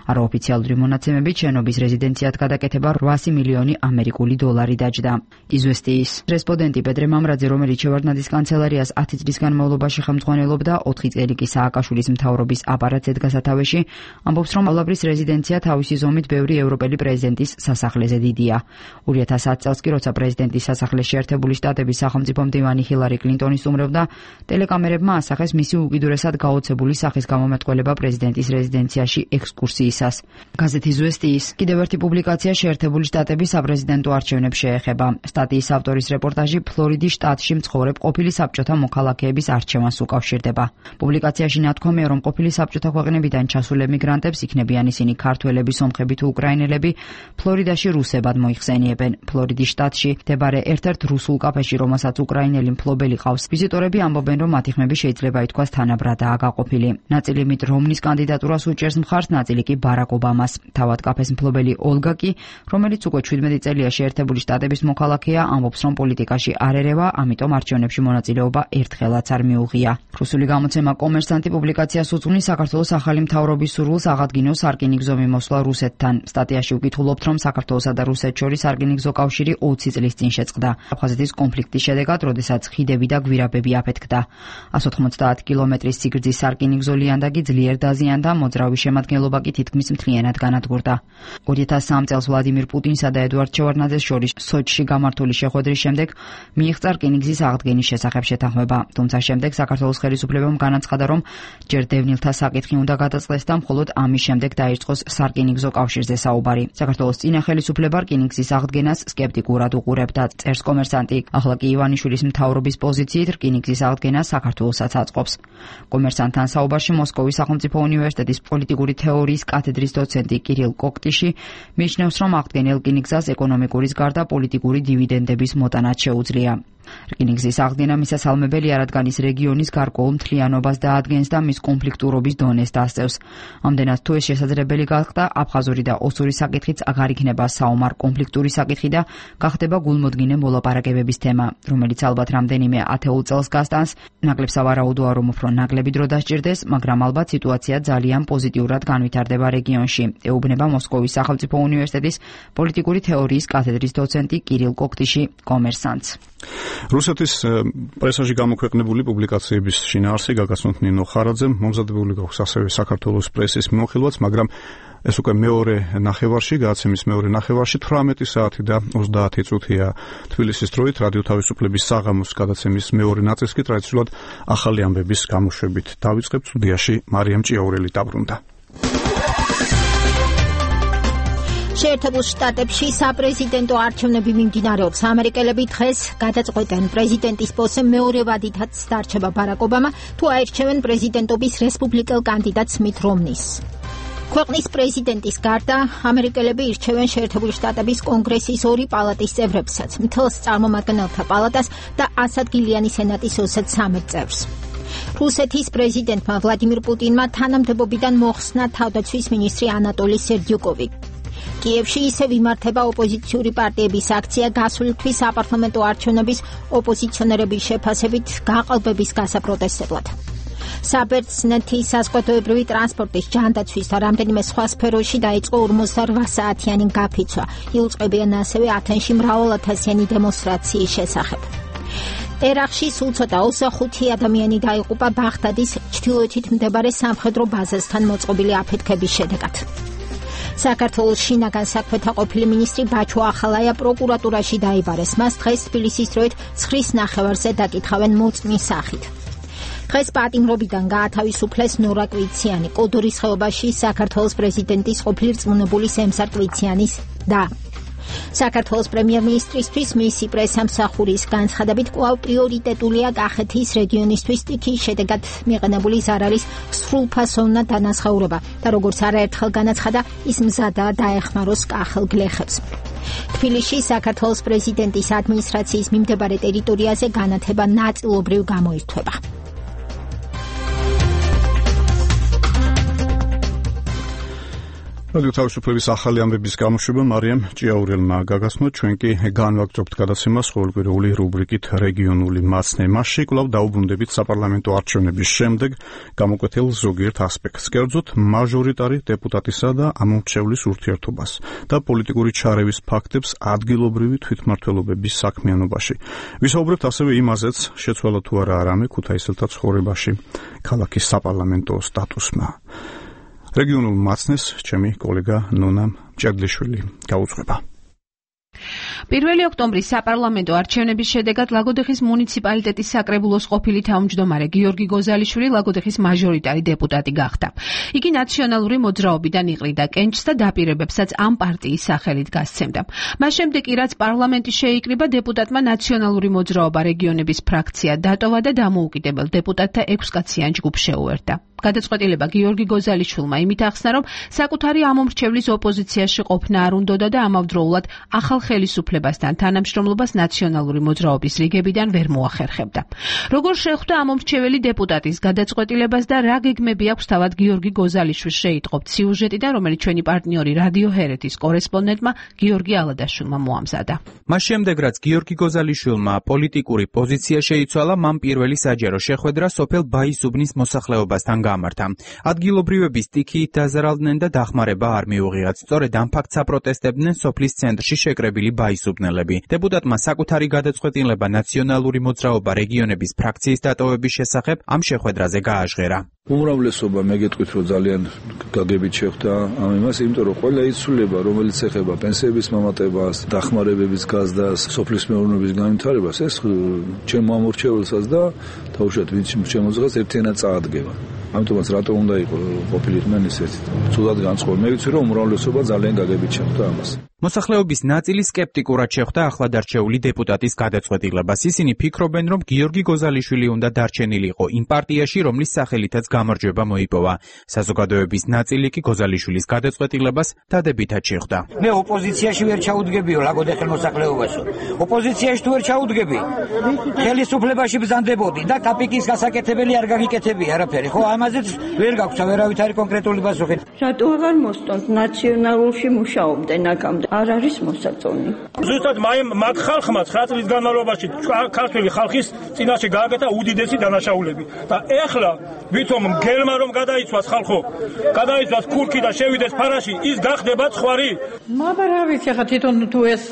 Speaker 9: არაოფიციალური მონაცემებით შენობის რეზიდენციად გადაკეთება რვასი მილიონი ამერიკული დოლარი დაჯდა. იზვესტიის რესპონდენტი პეტრე მამრაძე, რომელიც შევარდნაძის კანცელარიას ათი წლის განმავლობაში ხელმძღვანელობდა, ოთხი წელი კი სააკაშვილის მთავრობის აპარატს ედგა სათავეში, ამბობს, რომ ავლაბრის რეზიდენცია თავისი ზომით ბევრი ევროპელი პრეზიდენტის სასახლეზე დიდია. ორი ათას ათი წელს კი, როცა პრეზიდენტის სასახლეს შეერთებული შტატების სახელმწიფო მდივანი ჰილარი კლინტონი სტუმრობდა, ტელეკამერებმა ასახეს მისი უკიდურესად გაოცებული სახის გამომეტყველება პრეზიდენტის რეზიდენციაში ექსკურსიისას. გაზეთი ზვესტიის კიდევ ერთი პუბლიკაცია შეერთებული შტატების საპრეზიდენტო არჩევნებს შეეხება. სტატიის ავტორის რეპორტაჟი ფლორიდის შტატში მცხოვრებ ყოფილი საბჭოთა მოქალაქეების არჩევანს უკავშირდება. პუბლიკაციაში ნათქვამია, რომ ყოფილი საბჭოთა ქვეყნებიდან ჩასულ ემიგრანტებს, იქნებიან ისინი ქართველები, სომხები თუ უკრაინელები, ფლორიდაში რუსებად მოიხსენიებენ. ფლორიდის შტატში მდებარე ერთ-ერთ რუსულ კაფეში, რომელსაც უკრაინელი მფლობელი ყავს, ვიზიტორები ამბობენ, რომ მათი ხმები შეიძლება ითქვას თანაბრადაა გაყოფილი. ნაწილი მით რომნის კანდიდატურას უჭერს მხარს, ნაწილი კი ბარაკ ობამას. თავად კაფეს მფლობელი ოლგა კი, რომელიც უკვე შვიდმეტი წელია შეერთებული შტატების მოქალაქეა, ამბობს, რომ პოლიტიკაში არ ერევა, ამიტომ არჩევნებში მონაწილეობა ერთხელაც არ მიუღია. რუსული გამოცემა კომერსანტი პუბლიკაციას უძღვნის საქართველოს ახალი მთავრობის სურვილს აღადგინოს სარკინიგზო მიმოსვლა რუსეთთან. სტატიაში ვკითხულობთ, რომ საქართველოსა და რუსეთს შორის სარკინიგზო კავშირი კავშირი ოცი წლის წინ შეწყდა. აფხაზეთის კონფლიქტის შედეგად, როდესაც ხიდები და გვირაბები აფეთქდა. εκατო ოცდაათი კილომეტრის სიგრძის სარკინიგზო ლიანდაგი ძლიერ დაზიანდა, მოძრავი შემადგენლობა კი თითქმის მთლიანად განადგურდა. ორი ათას სამი წელს ვლადიმირ პუტინსა და ედუარდ შევარდნაძეს შორის სოჩში გამართული შეხვედრის შემდეგ მიიღწა რკინიგზის აღდგენის შესახებ შეთანხმება. თუმცა შემდეგ საქართველოს ხელისუფლებამ განაცხადა, რომ ჯერ დევნილთა საკითხი უნდა გადაწყდეს და მხოლოდ ამის შემდეგ დაიწყოს სარკინიგზო კავშირზე საუბარი. საქართველოს წინა ხელისუფლება რკინიგზის აღდგენას სკეპტიკურად უყურებდა. წერს კომერსანტი. ახლა კი ივანიშვილის მთავრობის პოზიციით რკინიგზის აღდგენა საქართველოსაც აწყობს. კომერსანტთან საუბარში მოსკოვის სახელმწიფო უნივერსიტეტის პოლიტიკური თეორიის კათედრის დოცენტი კირილ კოქტიში მიიჩნევს, რომ აღდგენილ რკინიგზას ეკონომიკურის გარდა პოლიტიკური დივიდენდების მოტანაც შეუძლია. რკინიგზის აღდგენა მისასალმებელია, რადგან ის რეგიონის გარკვეულ მთლიანობას დაადგენს და მის კონფლიქტურობის დონეს დასწევს. ამდენად თუ ეს შესაძლებელი გახდა, აფხაზური და ოსური საკითხიც აღარ იქნება საომარ კონფლიქტური საკითხი და გახდება გულმოდგინე მოლაპარაკებების თემა, რომელიც ალბათ რამდენიმე ათეულ წელს გასტანს. ნაკლებ სავარაუდოა, რომ უფრო ნაკლები დრო დასჭირდეს, მაგრამ ალბათ სიტუაცია ძალიან პოზიტიურად განვითარდება რეგიონში. ეუბნება მოსკოვის სახელმწიფო უნივერსიტეტის პოლიტიკური თეორიის კათედრის დოცენტი კირილ კოქტიში კომერსანტს.
Speaker 1: რუსეთის პრესაში გამოქვეყნებული პუბლიკაციების შინაარსი გაგაცნოთ ნინო ხარაძემ, მომზადებული გვაქვს ასევე საქართველოს პრესის მიმოხილვაც, მაგრამ ეს უკვე მეორე ნახევარში, გადაცემის მეორე ნახევარში თვრამეტი საათი და ოცდაათი წუთია თბილისის დროით რადიო თავისუფლების საღამოს გადაცემის მეორე ნაწილს კი ტრადიციულად ახალი ამბების გამოშვებით დავიწყებთ. სტუდიაში მარიამ ჭიაურელი დაბრუნდა.
Speaker 2: შეერთებულ შტატებში საპრეზიდენტო არჩევნები მიმდინარეობს. ამერიკელები დღეს გადაწყვეტენ პრეზიდენტის პოსტზე მეორე ვადითაც დარჩება ბარაკ ობამა, თუ აირჩევენ პრეზიდენტობის რესპუბლიკელ კანდიდატს მით რომნის. ქვეყნის პრეზიდენტის გარდა ამერიკელები ირჩევენ შეერთებული შტატების კონგრესის ორი პალატის წევრებსაც, მთელს წარმომადგენელთა პალატას და ასადგილიანი სენატის ოცდამეტ წევრს. რუსეთის პრეზიდენტმა ვლადიმირ პუტინმა თანამდებობიდან მოხსნა თავდაცვის მინისტრი ანატოლი სერდიუკოვი. კიევში ისევ იმართება ოპოზიციური პარტიების აქცია გასული თვის საპარლამენტო არჩევნების ოპოზიციონერების შეფასებით გაყალბების გასაპროტესტებლად. საბერძნეთის საზღვაოებრივი ტრანსპორტის ჯანდაცვის და რამდენიმე სხვა სფეროში დაიწყო ორმოცდაოთხ საათიანი გაფიცვა. იუწყებიან ასევე ათენში მრავალათასიანი დემონსტრაციის შესახებ. ერაყში სულ ცოტა ოცდახუთი ადამიანი დაიღუპა ბაღდადის ჩრდილოეთით მდებარე სამხედრო ბაზასთან მოწყობილი აფეთქების შედეგად. საქართველოს შინაგან საქმეთა ყოფილი მინისტრი ბაჩო ახალაია პროკურატურაში დაიბარეს. მას დღეს თბილისის დროით ცხრის ნახევარზე დაკითხავენ მოწმის სახით. დღეს პატიმრობიდან გაათავისუფლეს ნორა კვიციანი, კოდორის ხეობაში საქართველოს პრეზიდენტის ყოფილი რწმუნებული სემსარ კვიციანის და საქართველოს პრემიერ-მინისტრისთვის მისი პრესამსახურის განცხადებით კვლავ პრიორიტეტულია კახეთის რეგიონისთვის სტიქიის შედეგად მიყენებული ზარალის სრულფასოვნად დანახაურება და როგორც არაერთხელ განაცხადა, ის მზადაა დაეხმაროს კახელ გლეხებს. თბილისში საქართველოს პრეზიდენტის ადმინისტრაციის მიმდებარე ტერიტორიაზე განათება ნაწილობრივ გამოირთვება.
Speaker 1: რადიო თავისუფლების ახალი ამბების გამოშვება მარიამ ჭიაურელმა გაგაცნო. ჩვენ კი განვაგრძობთ გადაცემას ყოველკვირეული რუბრიკით რეგიონული მაცნე. მასში კვლავ დაუბრუნდებით საპარლამენტო არჩევნების შემდეგ გამოკვეთილ ზოგიერთ ასპექტს, კერძოდ მაჟორიტარი დეპუტატისა და ამომრჩევლის ურთიერთობას და პოლიტიკური ჩარევის ფაქტებს ადგილობრივი თვითმმართველობების საქმიანობაში. ვისაუბრებთ ასევე იმაზეც, შეცვალა თუ არა არამე ქუთაისელთა ცხოვრებაში ქალაქის საპარლამენტო სტატუსმა. რეგიონულ მაცნეს ჩემი კოლეგა ნონა მჭედლიშვილი გაუძღვება.
Speaker 21: პირველი ოქტომბრის საპარლამენტო არჩევნების შედეგად ლაგოდეხის მუნიციპალიტეტის საკრებულოს ყოფილი თავმჯდომარე გიორგი გოზალიშვილი ლაგოდეხის მაჟორიტარი დეპუტატი გახდა. იგი ნაციონალური მოძრაობიდან იყრიდა კენჭს და დაპირებებსაც ამ პარტიის სახელით გასცემდა. მას შემდეგ კი რაც პარლამენტი შეიკრიბა, დეპუტატმა ნაციონალური მოძრაობა რეგიონების ფრაქცია დატოვა და დამოუკიდებელ დეპუტატთა ექვსკაციან ჯგუფს შეუერთდა. გადაწყვეტილება გიორგი გოზალიშვილმა იმით ახსნა, რომ საკუთარი ამომრჩევლის ოპოზიციაში ყოფნა არ უნდოდა და ამავდროულად ახალ ხელისუფლებასთან თანამშრომლობას ნაციონალური მოძრაობის რიგებიდან ვერ მოახერხებდა. როგორ შეხვდა ამომრჩეველი დეპუტატის გადაწყვეტილებას და რა გეგმები აქვს თავად გიორგი გოზალიშვილს შეიტყობთ სიუჟეტიდან, რომელიც ჩვენი პარტნიორი რადიო ჰერეთის კორესპონდენტმა გიორგი ალადაშვილმა მოამზადა.
Speaker 22: მას შემდეგ, რაც გიორგი გოზალიშვილმა პოლიტიკური პოზიცია შეიცვალა, მან პირველი საჯარო შეხვედრა სოფელ ბაისუბნის მოსახლეობასთან გამართა. ადგილობრივები სტიქიით დაზარალდნენ და დახმარება არ მიუღიათ. სწორედ ამ ფაქტს აპროტესტებდნენ სოფლის ცენტრში შეკრებილი ბაისუბნის გაისუბნელები. დეპუტატმა საკუთარი გადაწყვეტილება ნაციონალური მოძრაობა რეგიონების ფრაქციის დატოვების შესახებ ამ შეხვედრაზე გააჟღერა.
Speaker 3: უმრავლესობა მეგეთქვით, რომ ძალიან გაგებით შეხვდა ამ იმას, იმიტომ რომ ყველა იცვლება, რომელიც ეხება პენსიების მომატებას, დახმარებების გაზრდას, სოფლის მეურნეობის განვითარებას, ეს ჩემ ამორჩეულსაც და თავშეთ ვინც შემოძღეს ერთიანად წაადგება. ამიტომაც რატომ უნდა იყო ყოფილიყნენ ისეთი ცუდად განწყობილი. მე ვიცი რომ უმრავლესობა ძალიან გაგებით შეხვდა ამას.
Speaker 22: მოსახლეობის ნაწილი სკეპტიკურად შეხვდა ახლადარჩეული დეპუტატის გადაწყვეტილებას. ისინი ფიქრობენ, რომ გიორგი გოზალიშვილი უნდა დარჩენილიყო იმ პარტიაში, რომლის სახელითაც გამარჯვება მოიპოვა. საზოგადოების ნაწილი კი გოზალიშვილის გადაწყვეტილებას დადებითად შეხვდა.
Speaker 8: მე ოპოზიციაში ვერ ჩაუდგებიო ლაგოდე ხელმოსახლეობაშო. ოპოზიციაში თუ ვერ ჩაუდგები, ხელისუფლებაში ბრძანდებოდი და კაპიკის გასაკეთებელი არ გაგიკეთები არაფერი. ხო, ამაზეც ვერ გაქვს ვერავით არის კონკრეტული პასუხი.
Speaker 5: რატო აღარ მოსწონთ ნაციონალურში მუშაობდნენ აქამდე? არ არის მოსაწონი.
Speaker 23: ზუსტად მაგ ხალხმა ცხრა წლის განმავლობაში ქართული ხალხის წინაშე გააკეთა უდიდესი დანაშაულები და ეხლა ვითომ მგელმა რომ გადაიცვას ხალხო, გადაიცვას ქურქი და შევიდეს ფარაში, ის გახდება ხვარი.
Speaker 24: მაგრამ რა ვიცი, ხა თვითონ თუ ეს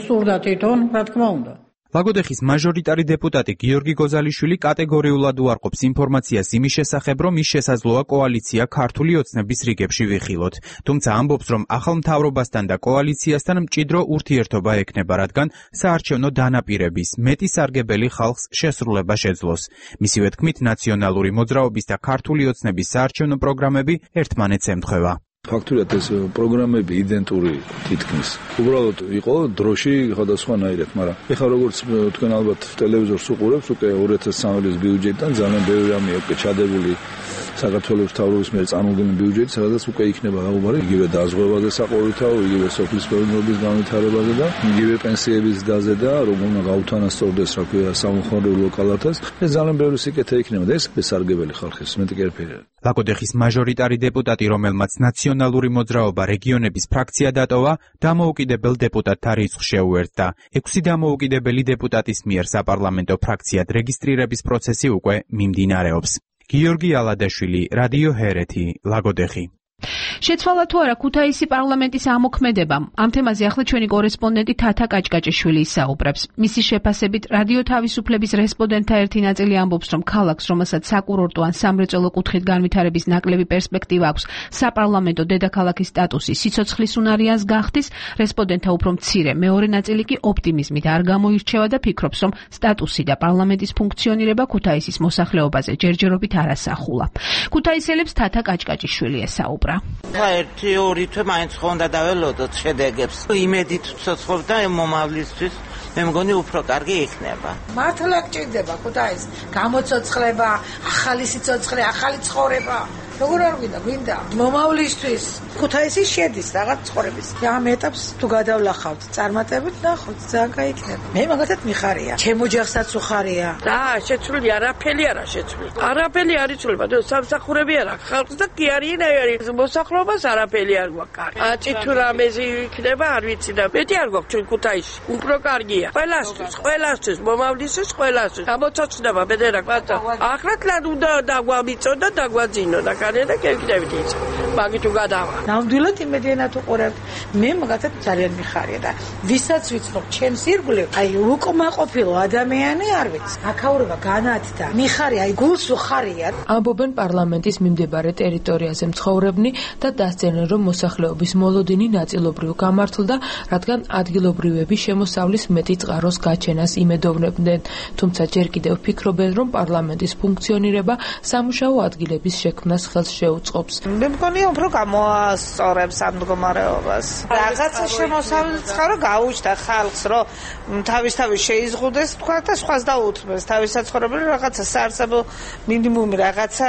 Speaker 24: სურდა თვითონ, რა თქმა უნდა.
Speaker 22: ლაგოდეხის მაჟორიტარი დეპუტატი გიორგი გოზალიშვილი კატეგორიულად უარყოფს ინფორმაციას იმის შესახებ, რომ ის შესაძლოა კოალიცია ქართული ოცნების რიგებში ვიხილოთ. თუმცა ამბობს, რომ ახალ მთავრობასთან და კოალიციასთან მჭიდრო ურთიერთობა ექნება, რადგან საარჩევნო დანაპირების მეტი სარგებელი ხალხს შესრულება შეძლოს. მისივე თქმით, ნაციონალური მოძრაობის და ქართული ოცნების საარჩევნო პროგრამები ერთმანეთს ემთხვევა.
Speaker 3: ფაქტურად ეს პროგრამები იდენტური თითქმის. უბრალოდ იყო დროში სხვადასხვანაირად, მაგრამ ეხლა როგორც თქვენ ალბათ ტელევიზორს უყურებთ, უკვე ორი ათას სამი წლის ბიუჯეტიდან ძალიან ბევრი რამე უკვე ჩადებული საქართველოს მთავრობის მიერ წარმოქმნილი ბიუჯეტი, სადაც უკვე იქნება საუბარი იგივე დაზღვევაზე საყოველთაო, იგივე სოფლის მეურნეობის განვითარებაზე და იგივე პენსიების დაზე და რომ უნდა გაუთანასწორდეს რა ქვია სამხარეო ლოკალათას. ეს ძალიან ბევრი სიკეთე იქნება და ეს სარგებელი ხალხის მეტი კერფერია.
Speaker 22: ლაგოდეხის მაჟორიტარი დეპუტატი, რომელმაც ნაციონალური მოძრაობა რეგიონების ფრაქცია დატოვა, დამოუკიდებელ დეპუტატთა რიცხვს შეუერთდა. ექვსი დამოუკიდებელი დეპუტატის მიერ საპარლამენტო ფრაქციად რეგისტრირების პროცესი უკვე მიმდინარეობს. გიორგი ალადაშვილი, რადიო ჰერეთი, ლაგოდეხი.
Speaker 21: შეცვალა თუ არა ქუთაისი პარლამენტის ამოქმედებამ. ამ თემაზე ახლა ჩვენი კორესპონდენტი თათა კაჭკაჭიშვილი ისაუბრებს. მისი შეფასებით რადიო თავისუფლების რესპონდენტთა ერთი ნაწილი ამბობს, რომ ქალაქს, რომელსაც საკურორტო ან სამრეწველო კუთხით განვითარების ნაკლები პერსპექტივა აქვს, საპარლამენტო დედაქალაქის სტატუსი სიცოცხლის უნარიანს გახდის, რესპონდენტთა უფრო მცირე მეორე ნაწილი კი ოპტიმიზმით არ გამოირჩევა და ფიქრობს, რომ სტატუსი და პარლამენტის ფუნქციონირება ქუთაისის მოსახლეობაზე ჯერჯერობით არ ასახულა. ქუთაისელებს თათა კაჭკაჭიშვილი ესაუბრა.
Speaker 25: ერთი ორი თვე მაინც ხო უნდა დაველოდოთ შედეგებს. იმედით ვცოცხლობ და მომავლისთვის მე მგონი უფრო კარგი იქნება.
Speaker 26: მართლა გჭირდება ქუთაის გამოცოცხლება, ახალი სიცოცხლე, ახალი ცხოვრება. როგორ არ გვინდა, გვინდა მომავლისთვის. ქუთაისი შედის რაღაც ცხოვრების. ამ ეტაპს თუ გადავლახავთ, წარმატებით ნახოთ, ძალიან გაიქნება. მე მაგათაც მიხარია. ჩემო ჯახსაც უხარია.
Speaker 27: და შეცვლილი არაფერი არა შეცვლილი. არაფერი არ იცვლება, და სამსახურები არა, ხალხს და კი არის მოსახლეობას არაფერი არ გვაქვს. აწი თუ რამეზე იქნება, არ ვიცი და მეტი არ გვაქვს ჩვენ ქუთაისში. უფრო კარგია. ყველასთვის, ყველასთვის, მომავლისთვის, ყველასთვის. გამოცოცხლება ბედერა ყვათა. ახლად უნდა დაგვამიწო და დაგვაძინო და და გეკიდებით ის. მაგით უგადავა.
Speaker 26: ნამდვილად იმედიანად უყურებთ. მე მაგათაც ძალიან მიხარია და ვისაც ვიცნობ ჩემს ირგვლივ, აი უკმაყოფილო ადამიანი არ ვიცი. აქაურობა განათდა. მიხარია, აი გულს უხარია.
Speaker 28: ამბობენ პარლამენტის მიმდებარე ტერიტორიაზე მცხოვრებნი და დასძენენ, რომ მოსახლეობის მოლოდინი ნაწილობრივ გამართლდა, რადგან ადგილობრივები შემოსავლის მეტი წყაროს გაჩენას იმედოვნებდნენ. თუმცა ჯერ კიდევ ფიქრობენ, რომ პარლამენტის ფუნქციონირება სამუშაო ადგილების შექმნას ხელს შეუწყობს.
Speaker 26: მე მგონი უფრო გამოასწორებს ამ მდგომარეობას. რაღაცა შემოსავლის წყარო გაუჩნდა ხალხს, რომ თავისთავად შეიზღუდეს, თქვა და სხვას დაუთმეს. თავის საცხოვრებელი რაღაცა საარსებო მინიმუმი რაღაცა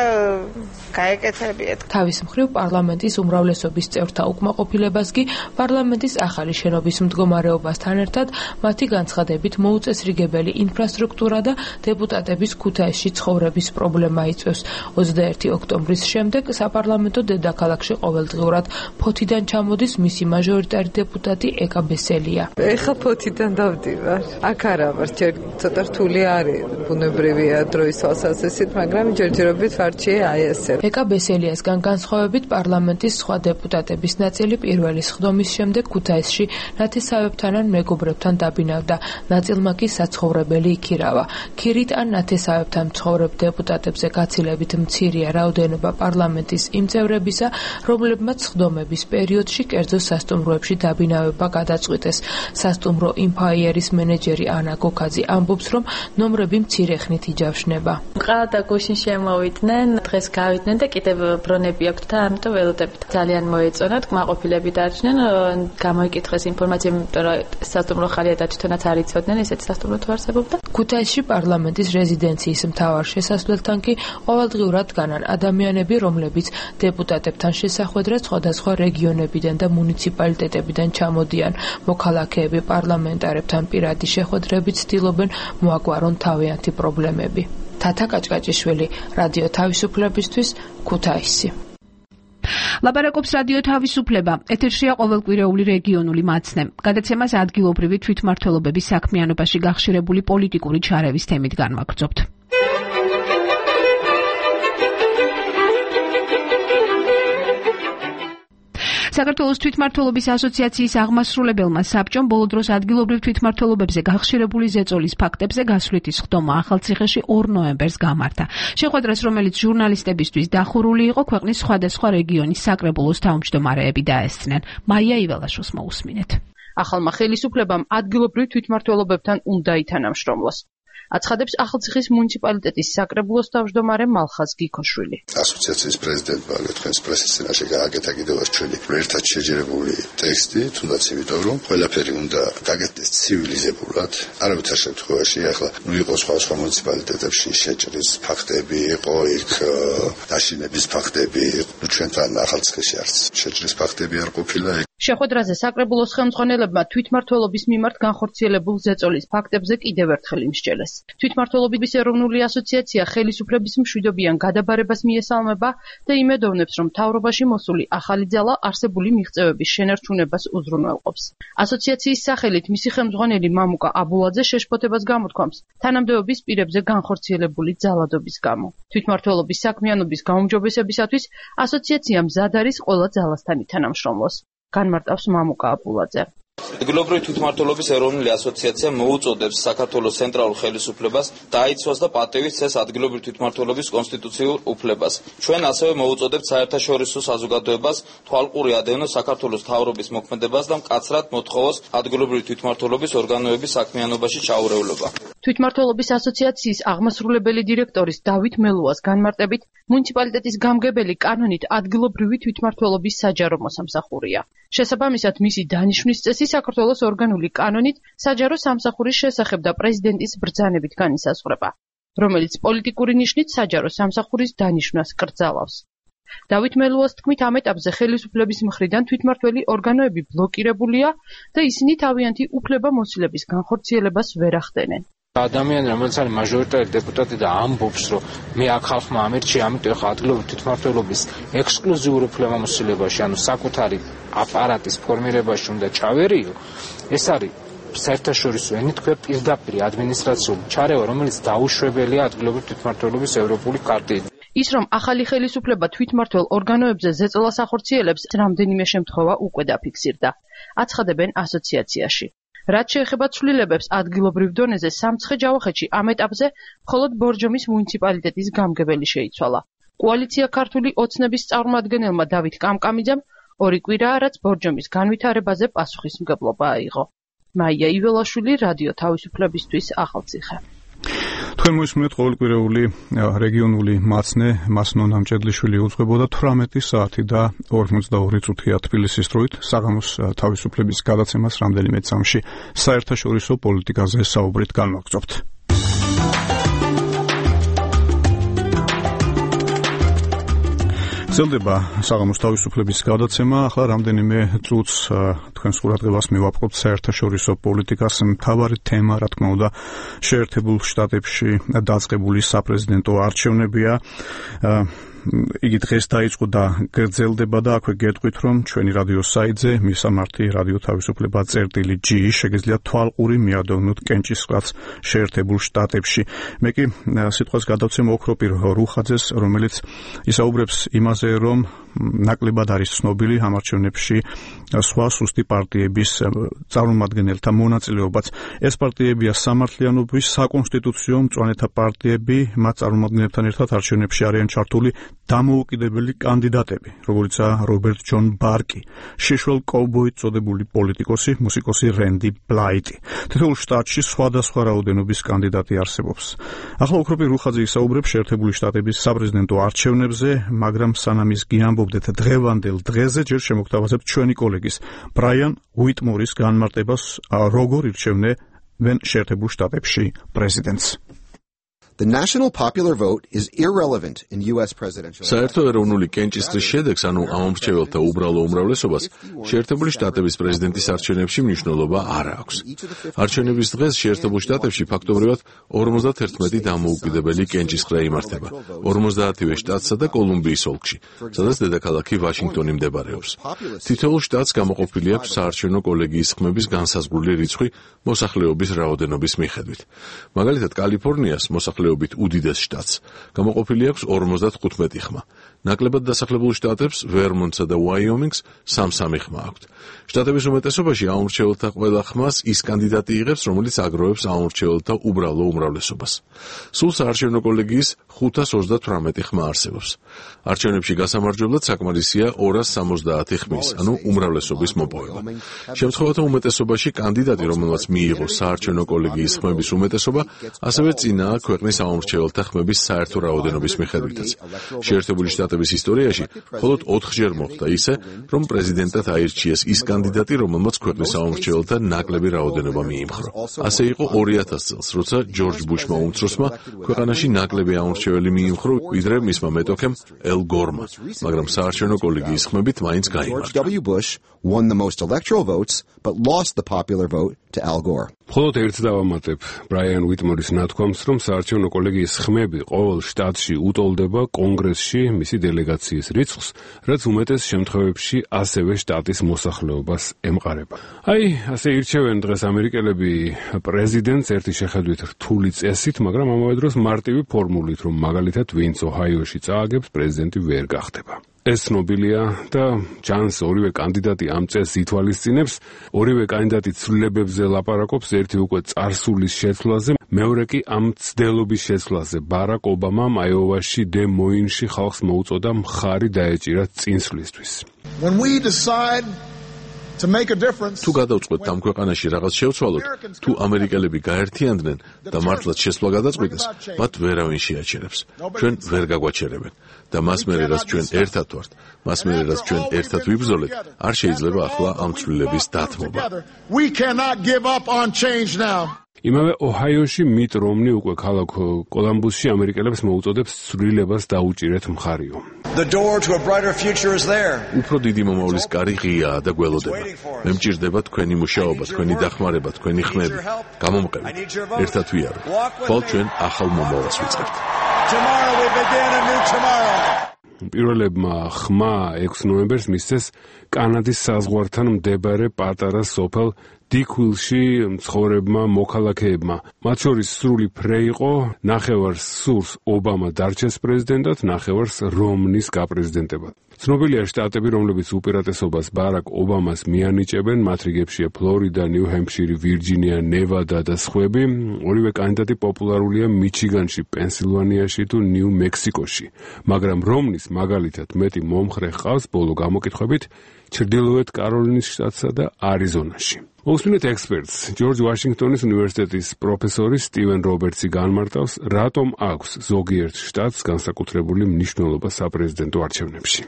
Speaker 26: გაეკეთებიეთ.
Speaker 28: თავის მხრივ პარლამენტის უმრავლესობის წევრთა უკმაყოფილებას კი პარლამენტის ახალი შენობის მდგომარეობასთან ერთად მათი განცხადებით მოუწესრიგებელი ინფრასტრუქტურა და დეპუტატების ქუთაისში ცხოვრების პრობლემა იწვევს. ოცდაერთი ოქტომბრის შემდეგ საპარლამენტო დედაქალაქში ყოველდღიურად ფოთიდან ჩამოდის მისი მაჟორიტარი დეპუტატი ეკა ბესელია.
Speaker 10: ეხლა ფოთიდან დავდივარ. აქ არა ვარ, ჯერ ცოტა რთული არის, ბუნებრივია დროის თვალსაზრისით, მაგრამ ჯერჯერობით ვარჩიე აი ესე.
Speaker 28: ეკა ბესელიასგან განსხვავებით პარლამენტის სხვა დეპუტატების ნაწილი პირველი სხდომის შემდეგ ქუთაისში ნათესავებთან ან მეგობრებთან დაბინავდა. ნაწილმა კი საცხოვრებელი იქირავა. ქირით ან ნათესავებთან მცხოვრებ დეპუტატებზე გაცილებით მცირეა რაოდენობა პარლამენტის იმ წევრებისა, რომლებმაც სხდომების პერიოდში კერძო სასტუმროებში დაბინავება გადაწყვიტეს. სასტუმრო ინფაიერის მენეჯერი ანა გოქაძე ამბობს, რომ ნომრები მცირე ხნით იჯავშნება.
Speaker 11: მყავ და გუშინ შემოვიდნენ, დღეს გავიდნენ და კიდევ ბრონები აქვთ და ამიტომ ველოდებით. ძალიან მოეწონათ, კმაყოფილები დარჩნენ, გამოიკითხეს ინფორმაცია, იმიტომ რომ სასტუმრო ხალია და თვითონაც არ იცოდნენ, ესეც სასტუმრო თუ არსებობდა.
Speaker 28: ქუთაისში პარლამენტის რეზიდენციის მთავარ შესასვლელთან კი ყოველდღიურად დგანან ადამიანები, რომლებიც დეპუტატებთან შესახვედრად სხვადასხვა რეგიონებიდან და მუნიციპალიტეტებიდან ჩამოდიან. მოქალაქეები პარლამენტარებთან პირადი შეხვედრებით ცდილობენ მოაგვარონ თავიანთი პრობლემები. თათა კაჭკაჭიშვილი, რადიო თავისუფლებისთვის, ქუთაისი.
Speaker 21: ლაპარაკობს რადიო თავისუფლება. ეთერშია ყოველკვირეული რეგიონული მაცნე. გადაცემას ადგილობრივი თვითმმართველობების საქმიანობაში გახშირებული პოლიტიკური ჩარევის თემით განვაგრძობთ. საქართველოს თვითმმართველობის ასოციაციის აღმასრულებელმა საბჭომ ბოლო დროს ადგილობრივ თვითმმართველობებზე გახშირებული ზეწოლის ფაქტებზე გასვლითი სხდომა ახალციხეში ორ ნოემბერს გამართა. შეხვედრას, რომელიც ჟურნალისტებისთვის დახურული იყო, ქვეყნის სხვადასხვა რეგიონის საკრებულოს თავმჯდომარეები დაესწნენ. მაია იველაშოს მოусმინეთ.
Speaker 12: ახალმა ხელისუფლებამ ადგილობრივ თვითმმართველობებთან უნდა ითანამშრომლოს. აცხადებს ახალციხის მუნიციპალიტეტის საკრებულოს თავმჯდომარე მალხაზ გიქოშვილი.
Speaker 13: ასოციაციის პრეზიდენტმა თქვენს პრესის წინაშე გააკეთა კიდევ ჩვენი ერთად შეჯერებული ტექსტი, თუნდაც იმიტომ რომ ყველაფერი უნდა გაკეთდეს ცივილიზებურად. არავითარ შემთხვევაში ახლა ნუ იყო სხვა სხვა მუნიციპალიტეტებში შეჭრის ფაქტები, იყო იქ დაშინების ფაქტები, ნუ ჩვენთან ახალციხეში არც შეჭრის ფაქტები არ ყოფილა.
Speaker 12: შეხვედრაზე საკრებულოს ხელმძღვანელებმა თვითმმართველობის მიმართ განხორციელებულ ზეწოლის ფაქტებზე კიდევ ერთხელ იმსჯელეს. თვითმმართველობის ეროვნული ასოციაცია ხელისუფლების მშვიდობიან გადაბარებას მიესალმება და იმედოვნებს, რომ მთავრობაში მოსული ახალი ძალა არსებული მიღწევების შენარჩუნებას უზრუნველყოფს. ასოციაციის სახელით მისი ხელმძღვანელი მამუკა აბულაძე შეშფოთებას გამოთქვამს თანამდებობის პირებზე განხორციელებული ძალადობის გამო. თვითმმართველობის საქმიანობის გაუმჯობესებისათვის ასოციაცია მზად არის ყველა ძალასთან ითანამშრომლოს. განმარტავს მამუკა აბულაძე.
Speaker 14: ადგილობრივი თვითმმართველობის ეროვნული ასოციაცია მოუწოდებს საქართველოს ცენტრალურ ხელისუფლებას დაიცვას და პატივით წეს ადგილობრივი თვითმმართველობის კონსტიტუციურ უფლებას. ჩვენ ასევე მოუწოდებთ საერთაშორისო საზოგადოებას თვალყური ადევნოს საქართველოს მთავრობის მოქმედებას და მკაცრად მოთხოვოს ადგილობრივი თვითმმართველობის ორგანოების საქმიანობაში ჩაურევლობა.
Speaker 12: თვითმმართველობის ასოციაციის აღმასრულებელი დირექტორის დავით მელუას განმარტებით, მუნიციპალიტეტის გამგებელი კანონით ადგილობრივი თვითმმართველობის საჯარო მოსამსახურია. შესაბამისად, მისი დანიშვნის წესი საქართველოს ორგანული კანონით საჯარო სამსახურის შესახებ და პრეზიდენტის ბრძანებით განისაზღვრება, რომელიც პოლიტიკური ნიშნით საჯარო სამსახურის დანიშვნას კრძალავს. დავით მელუას თქმით, ამ ეტაპზე ხელისუფლების მხრიდან თვითმმართველი ორგანოები ბლოკირებულია და ისინი თავიანთი უფლება-მოსილების განხორციელებას ვერ ახდენენ.
Speaker 15: ადამიანი, რომელიც არის მაჟორიტარი დეპუტატი და ამბობს, რომ მე აქ ხალხმა ამერჩია, ამიტომ ახლა ადგილობრივი თვითმმართველობის ექსკლუზიურ უფლებამოსილებაში, ანუ საკუთარი აპარატის ფორმირებაში უნდა ჩავერიო, ეს არის საერთაშორისო ენით ქვია პირდაპირ ადმინისტრაციული ჩარევა, რომელიც დაუშვებელია ადგილობრივი თვითმმართველობის ევროპული ქარტით.
Speaker 12: ის, რომ ახალი ხელისუფლება თვითმმართველ ორგანოებზე ზეწოლას ახორციელებს, რამდენიმე შემთხვევა უკვე დაფიქსირდა. აცხადებენ ასოციაციაში. რაც შეეხება ცვლილებებს ადგილობრივ დონეზე, სამცხე-ჯავახეთში ამ ეტაპზე მხოლოდ ბორჯომის მუნიციპალიტეტის გამგებელი შეიცვალა. კოალიცია ქართული ოცნების წარმომადგენელმა დავით კამკამიძემ ორი კვირაა, რაც ბორჯომის განვითარებაზე პასუხისმგებლობა აიღო. მაია იველაშვილი, რადიო თავისუფლებისთვის, ახალციხე.
Speaker 1: თქვენ მოისმინეთ ყოველკვირეული რეგიონული მაცნე, მასნო ნამჭედლიშვილი უძღვებოდა თვრამეტი საათი და ორმოცდაორი წუთია თბილისის დროით. საღამოს თავისუფლების გადაცემას რამდენიმე წამში საერთაშორისო პოლიტიკაზე საუბრით განვაგრძობთ. გრძელდება საღამოს თავისუფლების გადაცემა. ახლა რამდენიმე წუთს თქვენს ყურადღებას მივაპყრობთ საერთაშორისო პოლიტიკას. მთავარი თემა, რა თქმა უნდა, შეერთებულ შტატებში დაწყებული საპრეზიდენტო არჩევნებია. იგი დღეს დაიწყო და გრძელდება და აქვე გეტყვით, რომ ჩვენი რადიო საიტზე მისამართი რადიო თავისუფლება წერტილი ჯი შეგიძლიათ თვალყური მიადოვნოთ კენჭისყრაც შეერთებულ შტატებში. მე კი სიტყვას გადავცემ ოქროპირ რუხაძეს, რომელიც ისაუბრებს იმაზე, რომ ნაკლებად არის ცნობილი ამ არჩევნებში სხვა სუსტი პარტიების წარმომადგენელთა მონაწილეობაც. ეს პარტიებია სამართლიანობის, საკონსტიტუციო მწვანეთა პარტიები, მათ წარმომადგენლებთან ერთად არჩევნებში არიან ჩართული დამოუკიდებელი კანდიდატები, როგორიცაა რობერტ ჯონ ბარკი, შეშვალ კოუბოით წოდებული პოლიტიკოსი, მუსიკოსი რენდი ბლაიტი. თითოეულ შტატში სხვადასხვა რაოდენობის კანდიდატი არსებობს. ახლა ოქროპირ რუხაძე ისაუბრებს შეერთებული შტატების საპრეზიდენტო არჩევნებზე, მაგრამ სანამ ის გიამბობდეთ დღევანდელ დღეზე, ჯერ შემოგთავაზებთ ჩვენი კოლეგის ბრაიან უიტმორის განმარტებას, როგორ ირჩევნენ შეერთებულ შტატებში პრეზიდენტს.
Speaker 4: The national popular vote is irrelevant in U S presidential.
Speaker 6: საერთო ეროვნული კენჭისყრის შედეგს, ანუ ამომრჩეველთა უბრალო უმრავლესობას, შეერთებული შტატების პრეზიდენტის არჩევნებში მნიშვნელობა არ აქვს. არჩევნების დღეს შეერთებულ შტატებში ფაქტობრივად ორმოცდაერთმეტი დამოუკიდებელი კენჭისყრა იმართება, ორმოცდაათივე შტატსა და კოლუმბიის ოლქში, სადაც დედაქალაქი ვაშინგტონი მდებარეობს. თითოეულ შტატს გამოყოფილი აქვს საარჩევნო კოლეგიის ხმების განსაზღვრული რიცხვი მოსახლეობის რაოდენობის მიხედვით. მაგალითად, კალიფორნიას მოსახლეობის უდიდეს შტატს გამოყოფილი აქვს ორმოცდათხუთმეტი ხმა. ნაკლებად დასახლებულ შტატებს, ვერმონტსა და უაიომინგს სამ-სამი ხმა აქვთ. შტატების უმეტესობაში ამომრჩეველთა ყველა ხმას ის კანდიდატი იღებს, რომელიც აგროვებს ამომრჩეველთა უბრალო უმრავლესობას. სულ საარჩევნო კოლეგიის ხუთას ოცდათვრამეტი ხმა არსებობს. არჩევნებში გასამარჯვებლად საკმარისია ორას სამოცდაათი ხმის, ანუ უმრავლესობის მოპოვება. შემთხვევათა უმეტესობაში კანდიდატი, რომელმაც მიიღო საარჩევნო კოლეგიის ხმების უმეტესობა, ასევე წინაა ქვეყნის ამომრჩეველთა ხმების საერთო რაოდენობის მიხედვითაც. შეერთებული შტატების ისტორიაში მხოლოდ ოთხჯერ მოხდა ისე, რომ პრეზიდენტად აირჩიეს ის კანდიდატი, რომელმაც ქვეყნის ამომრჩეველთა ნაკლები რაოდენობა მიიმხრო. ასე იყო ორი ათას წელს, როცა ჯორჯ ბუშმა უმცროსმა ქვეყანაში ნაკლები ამომრჩეველი მიიმხრო, ვიდრე მისმა მეტოქემ ელ გორმა, მაგრამ საარჩევნო კოლეგიის ხმებით მაინც გაიმარჯვა.
Speaker 4: George W. Bush won the most electoral votes, but lost the popular vote to Al Gore.
Speaker 7: მხოლოდ ერთს დავამატებ ბრაიან უიტმორის ნათქვამს, რომ საარჩევნო კოლეგიის ხმები ყოველ შტატში უტოლდება კონგრესში მისი დელეგაციის რიცხვს, რაც უმეტეს შემთხვევებში ასევე შტატის მოსახლეობას ემყარება. აი, ასე ირჩევენ დღეს ამერიკელები პრეზიდენტს ერთი შეხედვით რთული წესით, მაგრამ ამავე დროს მარტივი ფორმულით, რომ მაგალითად ვინც ოჰაიოში წააგებს, პრეზიდენტი ვერ გახდება. ეს ცნობილია და ჩანს ორივე კანდიდატი ამ წესს ითვალისწინებს, ორივე კანდიდატი ცვლილებებზე ლაპარაკობს, ერთი უკვე წარსულის შეცვლაზე, მეორე კი ამ ცდელობის შეცვლაზე. ბარაკ ობამამ აიოვაში დე მოინში ხალხს მოუწოდა მხარი დაეჭირა წინსვლისთვის.
Speaker 16: When we decide to make a difference,
Speaker 6: თუ გადავწყვეტთ ამ ქვეყანაში რაღაც შევცვალოთ, თუ ამერიკელები გაერთიანდნენ და მართლაც შესვლა გადაწყვიტეს, მათ ვერავინ შეაჩერებს. ჩვენ ვერ გაგვაჩერებენ და მას მერე რაც ჩვენ ერთად ვართ, მას მერე რაც ჩვენ ერთად ვიბრძოლეთ, არ შეიძლება ახლა ამ ცვლილების დათმობა.
Speaker 16: we cannot give up on change now.
Speaker 7: იმავე ოჰაიოში მიტ რომნი უკვე ქალაქ კოლუმბუსში ამერიკელებს მოუწოდებს ცვლილებას დაუჭირეთ მხარიო.
Speaker 16: The door to a brighter future is there.
Speaker 6: უფრო დიდი მომავლის კარი ღიაა და გველოდება. მე მჭირდება თქვენი მუშაობა, თქვენი დახმარება, თქვენი ხმები. გამომყევით. ერთად ვიარო. ხვალ ჩვენ ახალ მომავალს ვიწყებთ.
Speaker 16: Tomorrow we begin a new tomorrow.
Speaker 7: პირველებმა ხმა ექვსი ნოემბერს მისცეს კანადის საზღვართან მდებარე პატარა სოფელ დიკვილში მცხოვრებმა მოქალაქეებმა. მათ შორის სრული ფრე იყო, ნახევარს სურს ობამა დარჩეს პრეზიდენტად, ნახევარს რომნის გაპრეზიდენტებად. ცნობილია შტატები, რომლებიც უპირატესობას ბარაკ ობამას მიანიჭებენ, მათ რიგებშია ფლორიდა, ნიუ-ჰემფშირი, ვირჯინია, ნევადა და სხვები. ორივე კანდიდატი პოპულარულია მიჩიგანში, პენსილვანიაში თუ ნიუ-მექსიკოში. მაგრამ რომნის მაგალითად მეტი მომხრე ჰყავს ბოლო გამოკითხვებით ჩრდილოეთ კაროლინის შტატსა და არიზონაში. მოვსმინეთ ექსპერტს, ჯორჯ ვაშინგტონის უნივერსიტეტის პროფესორი სტივენ რობერტსი განმარტავს, რატომ აქვს ზოგიერთ შტატს განსაკუთრებული მნიშვნელობა საპრეზიდენტო არჩევნებში.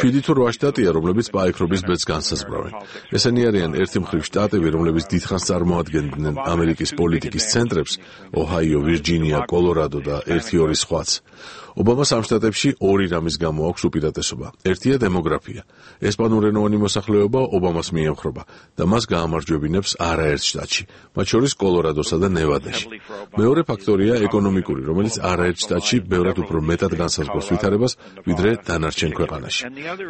Speaker 6: შვიდი თუ რვა შტატია, რომლებიც პაექრობის ბედს განსაზღვრავენ. ესენი არიან ერთი მხრივ შტატები, რომლებიც დიდხანს წარმოადგენდნენ ამერიკის პოლიტიკის ცენტრებს, ოჰაიო, ვირჯინია, კოლორადო და ერთი-ორი სხვაც. ობამას ამ შტატებში ორი რამის გამო აქვს უპირატესობა. ერთია დემოგრაფია. ესპანურენოვანი მოსახლეობა მოსახლეობა ობამას მიემხრობა და მას გაამარჯვებინებს არაერთ შტატში, მათ შორის კოლორადოსა და ნევადაში. მეორე ფაქტორია ეკონომიკური, რომელიც არაერთ შტატში ბევრად უფრო მეტად განსაზღვრავს ვითარებას, ვიდრე დანარჩენ ქვეყანაში.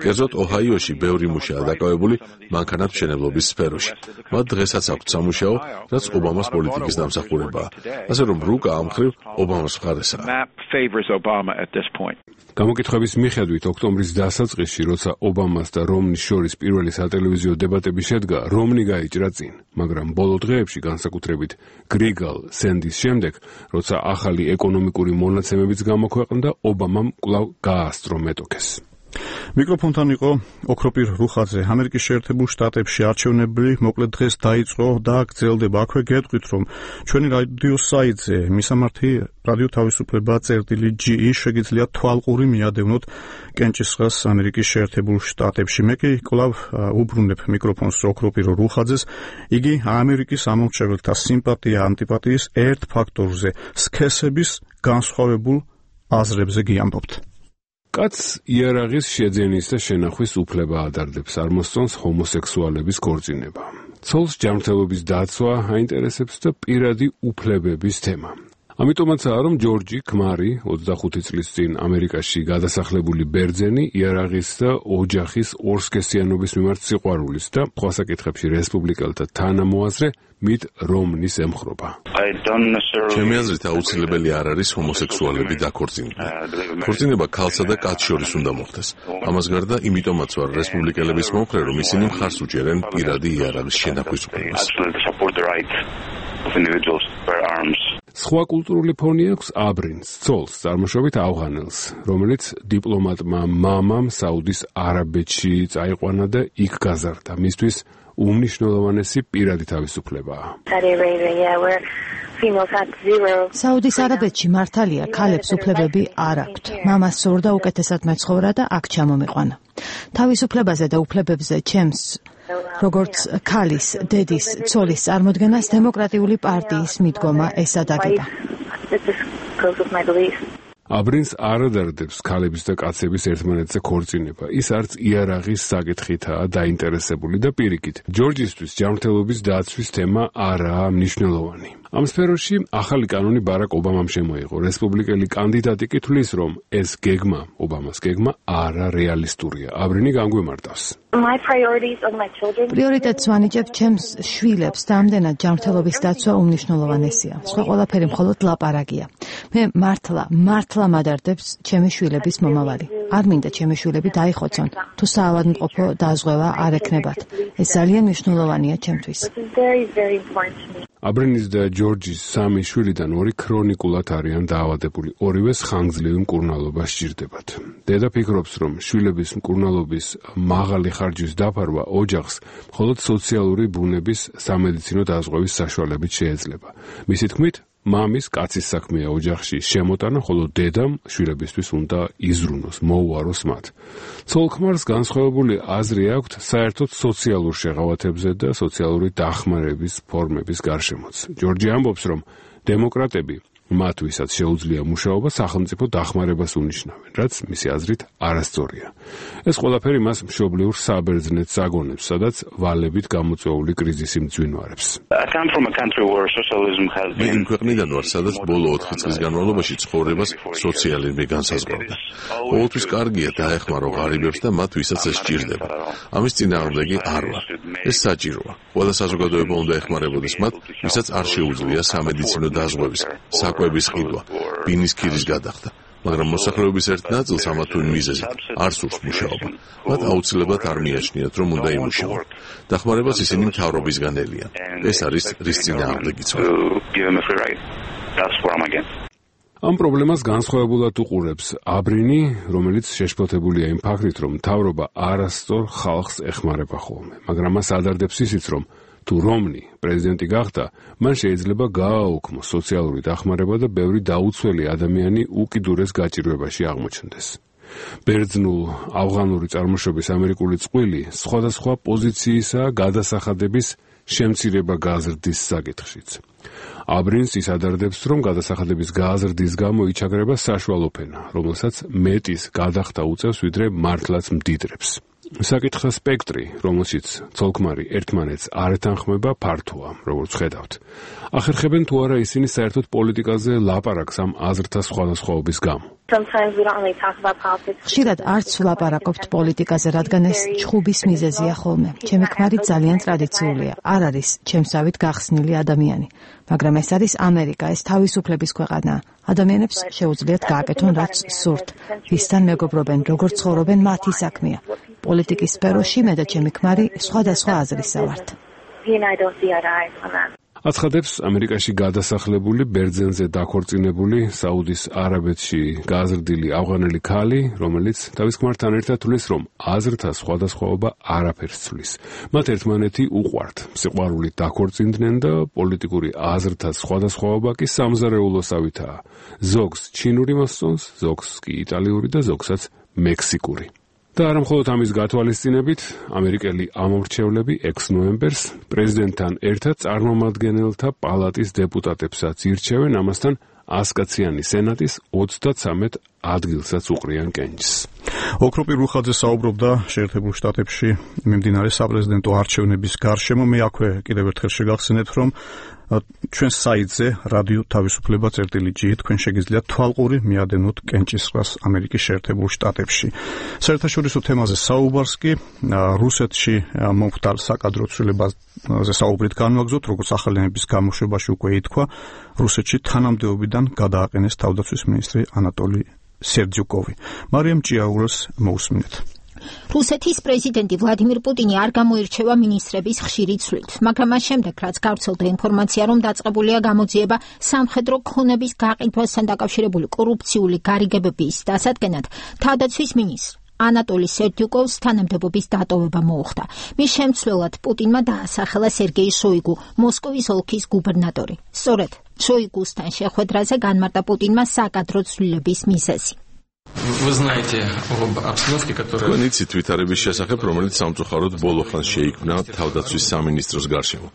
Speaker 6: კერძოდ, ოჰაიოში ბევრი მუშაა დაკავებული მანქანათმშენებლობის სფეროში. მათ დღესაც აქვთ სამუშაო, რაც ობამას პოლიტიკის დამსახურებაა. ასე რომ რუკა ამ მხრივ ობამას მხარესაა.
Speaker 7: გამოკითხების მიხედვით ოქტომბრის დასაწყისში, როცა ობამას და რომნის შორის პირველი სატელევიზიო დებატები შედგა, რომნი გაიჭრა წინ, მაგრამ ბოლო დღეებში, განსაკუთრებით გრიგალ სენდის შემდეგ, როცა ახალი ეკონომიკური მონაცემებიც გამოქვეყნდა, ობამამ კვლავ გაასწრო მეტოქეს.
Speaker 1: მიკროფონთან იყო ოქროპირ რუხაძე. ამერიკის შეერთებულ შტატებში არჩევნები მოკლედ დღეს დაიწყო და გრძელდება. აქვე გეტყვით, რომ ჩვენი რადიო საიტზე მისამართი რადიო თავისუფლება წერტილი ჯი ი შეგიძლიათ თვალყური მიადევნოთ კენჭისყრას ამერიკის შეერთებულ შტატებში. მე კი კვლავ უბრუნებ მიკროფონს ოქროპირ რუხაძეს. იგი ამერიკის ამომრჩეველთა სიმპათია ანტიპათიის ერთ ფაქტორზე, სქესების განსხვავებულ აზრებზე გიამბობთ.
Speaker 7: კაცს იარაღის შეძენის და შენახვის უფლება ადარდებს, არ მოსწონს ჰომოსექსუალების ქორწინება. ცოლს ჯანმრთელობის დაცვა აინტერესებს და პირადი უფლებების თემა. ამიტომაცაა, რომ ჯორჯი ქმარი ოცდახუთი წლის წინ ამერიკაში გადასახლებული ბერძენი იარაღის და ოჯახის ორსქესიანობის მიმართ სიყვარულის და სხვა საკითხებში რესპუბლიკელთა თანამოაზრე მით რომნის ემხრობა.
Speaker 6: ჩემი აზრით აუცილებელი არ არის ჰომოსექსუალები დაქორწინდნენ. ქორწინება ქალსა და კაცს შორის უნდა მოხდეს. ამას გარდა იმიტომაც ვარ რესპუბლიკელების მომხრე, რომ ისინი მხარს უჭერენ პირადი იარაღის შენახვის უფლებას.
Speaker 7: სხვა კულტურული ფონი აქვს აბრინს, ცოლს, წარმოშობით ავღანელს, რომელიც დიპლომატმა მამამ საუდის არაბეთში წაიყვანა და იქ გაზარდა. მისთვის უმნიშვნელოვანესი პირადი თავისუფლებაა.
Speaker 2: საუდის არაბეთში მართალია, ქალებს უფლებები არ აქვთ. მამას სურდა უკეთესად მეცხოვრა და აქ ჩამომიყვანა. თავისუფლებაზე და უფლებებზე ჩემს როგორც ქალის, დედის, ცოლის წარმოდგენას დემოკრატიული პარტიის მიდგომა ესადაგება.
Speaker 7: აბრინს არ ადარდებს ქალების და კაცების ერთმანეთზე ქორწინება. ის არც იარაღის საკითხითაა დაინტერესებული და პირიქით. ჯორჯისთვის ჯანმრთელობის დაცვის თემა არაა მნიშვნელოვანი. ამ სფეროში ახალი კანონი ბარაკ ობამამ შემოიღო. რესპუბლიკელი კანდიდატი კი თვლის, რომ ეს გეგმა, ობამას გეგმა, არა რეალისტურია. აბრინი განგვემართავს.
Speaker 2: პრიორიტეტს ვანიჭებ ჩემს შვილებს და ამდენად ჯანმრთელობის დაცვა უმნიშვნელოვანესია. სხვა ყველაფერი მხოლოდ ლაპარაკია. მე მართლა, მართლა მადარდებს ჩემი შვილების მომავალი. არ მინდა ჩემი შვილები დაიხოცონ, თუ საავადმყოფო დაზღვევა არ ექნებათ. ეს ძალიან მნიშვნელოვანია ჩემთვის.
Speaker 7: აბრინის და ჯორჯის სამი შვილიდან ორი ქრონიკულად არიან დაავადებული, ორივეს ხანგრძლივი მკურნალობა სჭირდებათ. დედა ფიქრობს, რომ შვილების მკურნალობის მაღალი ხარჯვის დაფარვა ოჯახს მხოლოდ სოციალური ბუნების სამედიცინო დაზღვევის საშუალებით შეეძლება. მისი თქმით, მამის კაცის საქმეა ოჯახში შემოტანა, ხოლო დედამ შვილებისთვის უნდა იზრუნოს, მოუაროს მათ. ცოლ-ქმარს განსხვავებული აზრი აქვთ საერთოდ სოციალურ შეღავათებზე და სოციალური დახმარების ფორმების გარშემოც. ჯორჯი ამბობს, რომ დემოკრატები მათ ვისაც შეუძლია მუშაობა სახელმწიფო დახმარებას უნიშნავენ, რაც მისი აზრით არასწორია. ეს ყველაფერი მას მშობლიურ საბერძნეთს აგონებს, სადაც ვალებით გამოწვეული კრიზისი მძვინვარებს.
Speaker 6: მე იმ ქვეყნიდან ვარ, სადაც ბოლო ოთხი წლის განმავლობაში ცხოვრებას სოციალიზმი განსაზღვრავდა. ყოველთვის კარგია დაეხმარო ღარიბებს და მათ ვისაც ეს სჭირდება. ამის წინააღმდეგი არ ვარ. ეს საჭიროა. ყველა საზოგადოება უნდა ეხმარებოდეს მათ, ვისაც არ შეუძლია სამედიცინო დაზღვევის კვების ყიდვა, ბინის ქირის გადახდა, მაგრამ მოსახლეობის ერთ ნაწილს ამა თუ იმ მიზეზით არ სურს მუშაობა. მათ აუცილებლად არ მიაჩნიათ, რომ უნდა იმუშაონ. დახმარებას ისინი მთავრობისგან ელიან. ეს არის რის წინააღმდეგიც ვარ.
Speaker 7: ამ პრობლემას განსხვავებულად უყურებს აბრინი, რომელიც შეშფოთებულია იმ ფაქტით, რომ მთავრობა არასწორ ხალხს ეხმარება ხოლმე, მაგრამ მას ადარდებს ისიც, რომ თუ რომნი პრეზიდენტი გახდა, მან შეიძლება გააუქმოს სოციალური დახმარება და ბევრი დაუცველი ადამიანი უკიდურეს გაჭირვებაში აღმოჩნდეს. ბერძნულ ავღანური წარმოშობის ამერიკული წყვილი სხვადასხვა პოზიციისაა გადასახადების შემცირება გაზრდის საკითხშიც. აბრინს ის ადარდებს, რომ გადასახადების გაზრდის გამო იჩაგრება საშუალო ფენა, რომელსაც მეტის გადახდა უწევს, ვიდრე მართლაც მდიდრებს. საკითხა სპექტრი, რომელშიც ცოლ-ქმარი ერთმანეთს არ ეთანხმება, ფართოა, როგორც ხედავთ. ახერხებენ თუ არა ისინი საერთოდ პოლიტიკაზე ლაპარაკს ამ აზრთა სხვადასხვაობის გამო.
Speaker 2: ხშირად არც ვლაპარაკობთ პოლიტიკაზე, რადგან ეს ჩხუბის მიზეზია ხოლმე. ჩემი ქმარი ძალიან ტრადიციულია, არ არის ჩემსავით გახსნილი ადამიანი, მაგრამ ეს არის ამერიკა, ეს თავისუფლების ქვეყანაა. ადამიანებს შეუძლიათ გააკეთონ რაც სურთ, ვისთან მეგობრობენ, როგორ ცხოვრობენ, მათი საქმეა. პოლიტიკის სფეროში მე და ჩემი ქმარი სხვადასხვა აზრისა ვართ.
Speaker 7: აცხადებს ამერიკაში გადასახლებული, ბერძენზე დაქორწინებული, საუდის არაბეთში გაზრდილი ავღანელი ქალი, რომელიც თავის ქმართან ერთად თვლის, რომ აზრთა სხვადასხვაობა არაფერს ცვლის. მათ ერთმანეთი უყვართ, სიყვარულით დაქორწინდნენ და პოლიტიკური აზრთა სხვადასხვაობა კი სამზარეულოსავითაა. ზოგს ჩინური მოსწონს, ზოგს კი იტალიური და ზოგსაც მექსიკური. და არა მხოლოდ ამის გათვალისწინებით, ამერიკელი ამორჩევლები ექვსი ნოემბერს პრეზიდენტთან ერთად წარმომადგენელთა პალატის დეპუტატებსაც ირჩევენ, ამასთან ასკაციანი სენატის ოცდათვრამეტ ადგილსაც უყრიან კენჭს.
Speaker 1: ოქროპი რუხაძე საუბრობდა შეერთებულ შტატებში მიმდინარე საპრეზიდენტო არჩევნების გარშემო. მე აქვე კიდევ ერთხელ შეგახსენებთ, რომ ჩვენ საიტზე რადიო თავისუფლება წერტილი ჯი თქვენ შეგიძლიათ თვალყური მიადენოთ კენჭისყრას ამერიკის შეერთებულ შტატებში. საერთაშორისო თემაზე საუბარს კი რუსეთში მომხდარ საკადრო ცვლილებაზე საუბრით განვაგრძოთ, როგორც ახალი ენების გამოშვებაში უკვე ითქვა, რუსეთში თანამდებობიდან გადააყენეს თავდაცვის მინისტრი ანატოლი სერდიუკოვი. მარიამ ჭიაურას მოусმინეთ.
Speaker 5: რუსეთის პრეზიდენტი ვლადიმირ პუტინი არ გამოირჩევა მინისტრების ხშირი ცვლით, მაგრამ მას შემდეგ, რაც გავრცელდა ინფორმაცია, რომ დაწყებულია გამოძიება სამხედრო ქონების გაყიდვასთან დაკავშირებული კორუფციული გარიგებების დასადგენად, თავდაცვის მინისტრ ანატოლი სერდიუკოვს თანამდებობის დატოვება მოუხდა. მის შემცვლელად პუტინმა დაასახელა სერგეი შოიგუ, მოსკოვის ოლქის გუბერნატორი. სწორედ შოიგუსთან შეხვედრაზე განმარტა პუტინმა საკადრო ცვლილების მიზეზი.
Speaker 8: Вы знаете об обстановке, которая...
Speaker 6: Თქვენ იცით ვითარების შესახებ, რომელიც სამწუხაროდ ბოლო ხანს შეიქმნა თავდაცვის სამინისტროს გარშემო.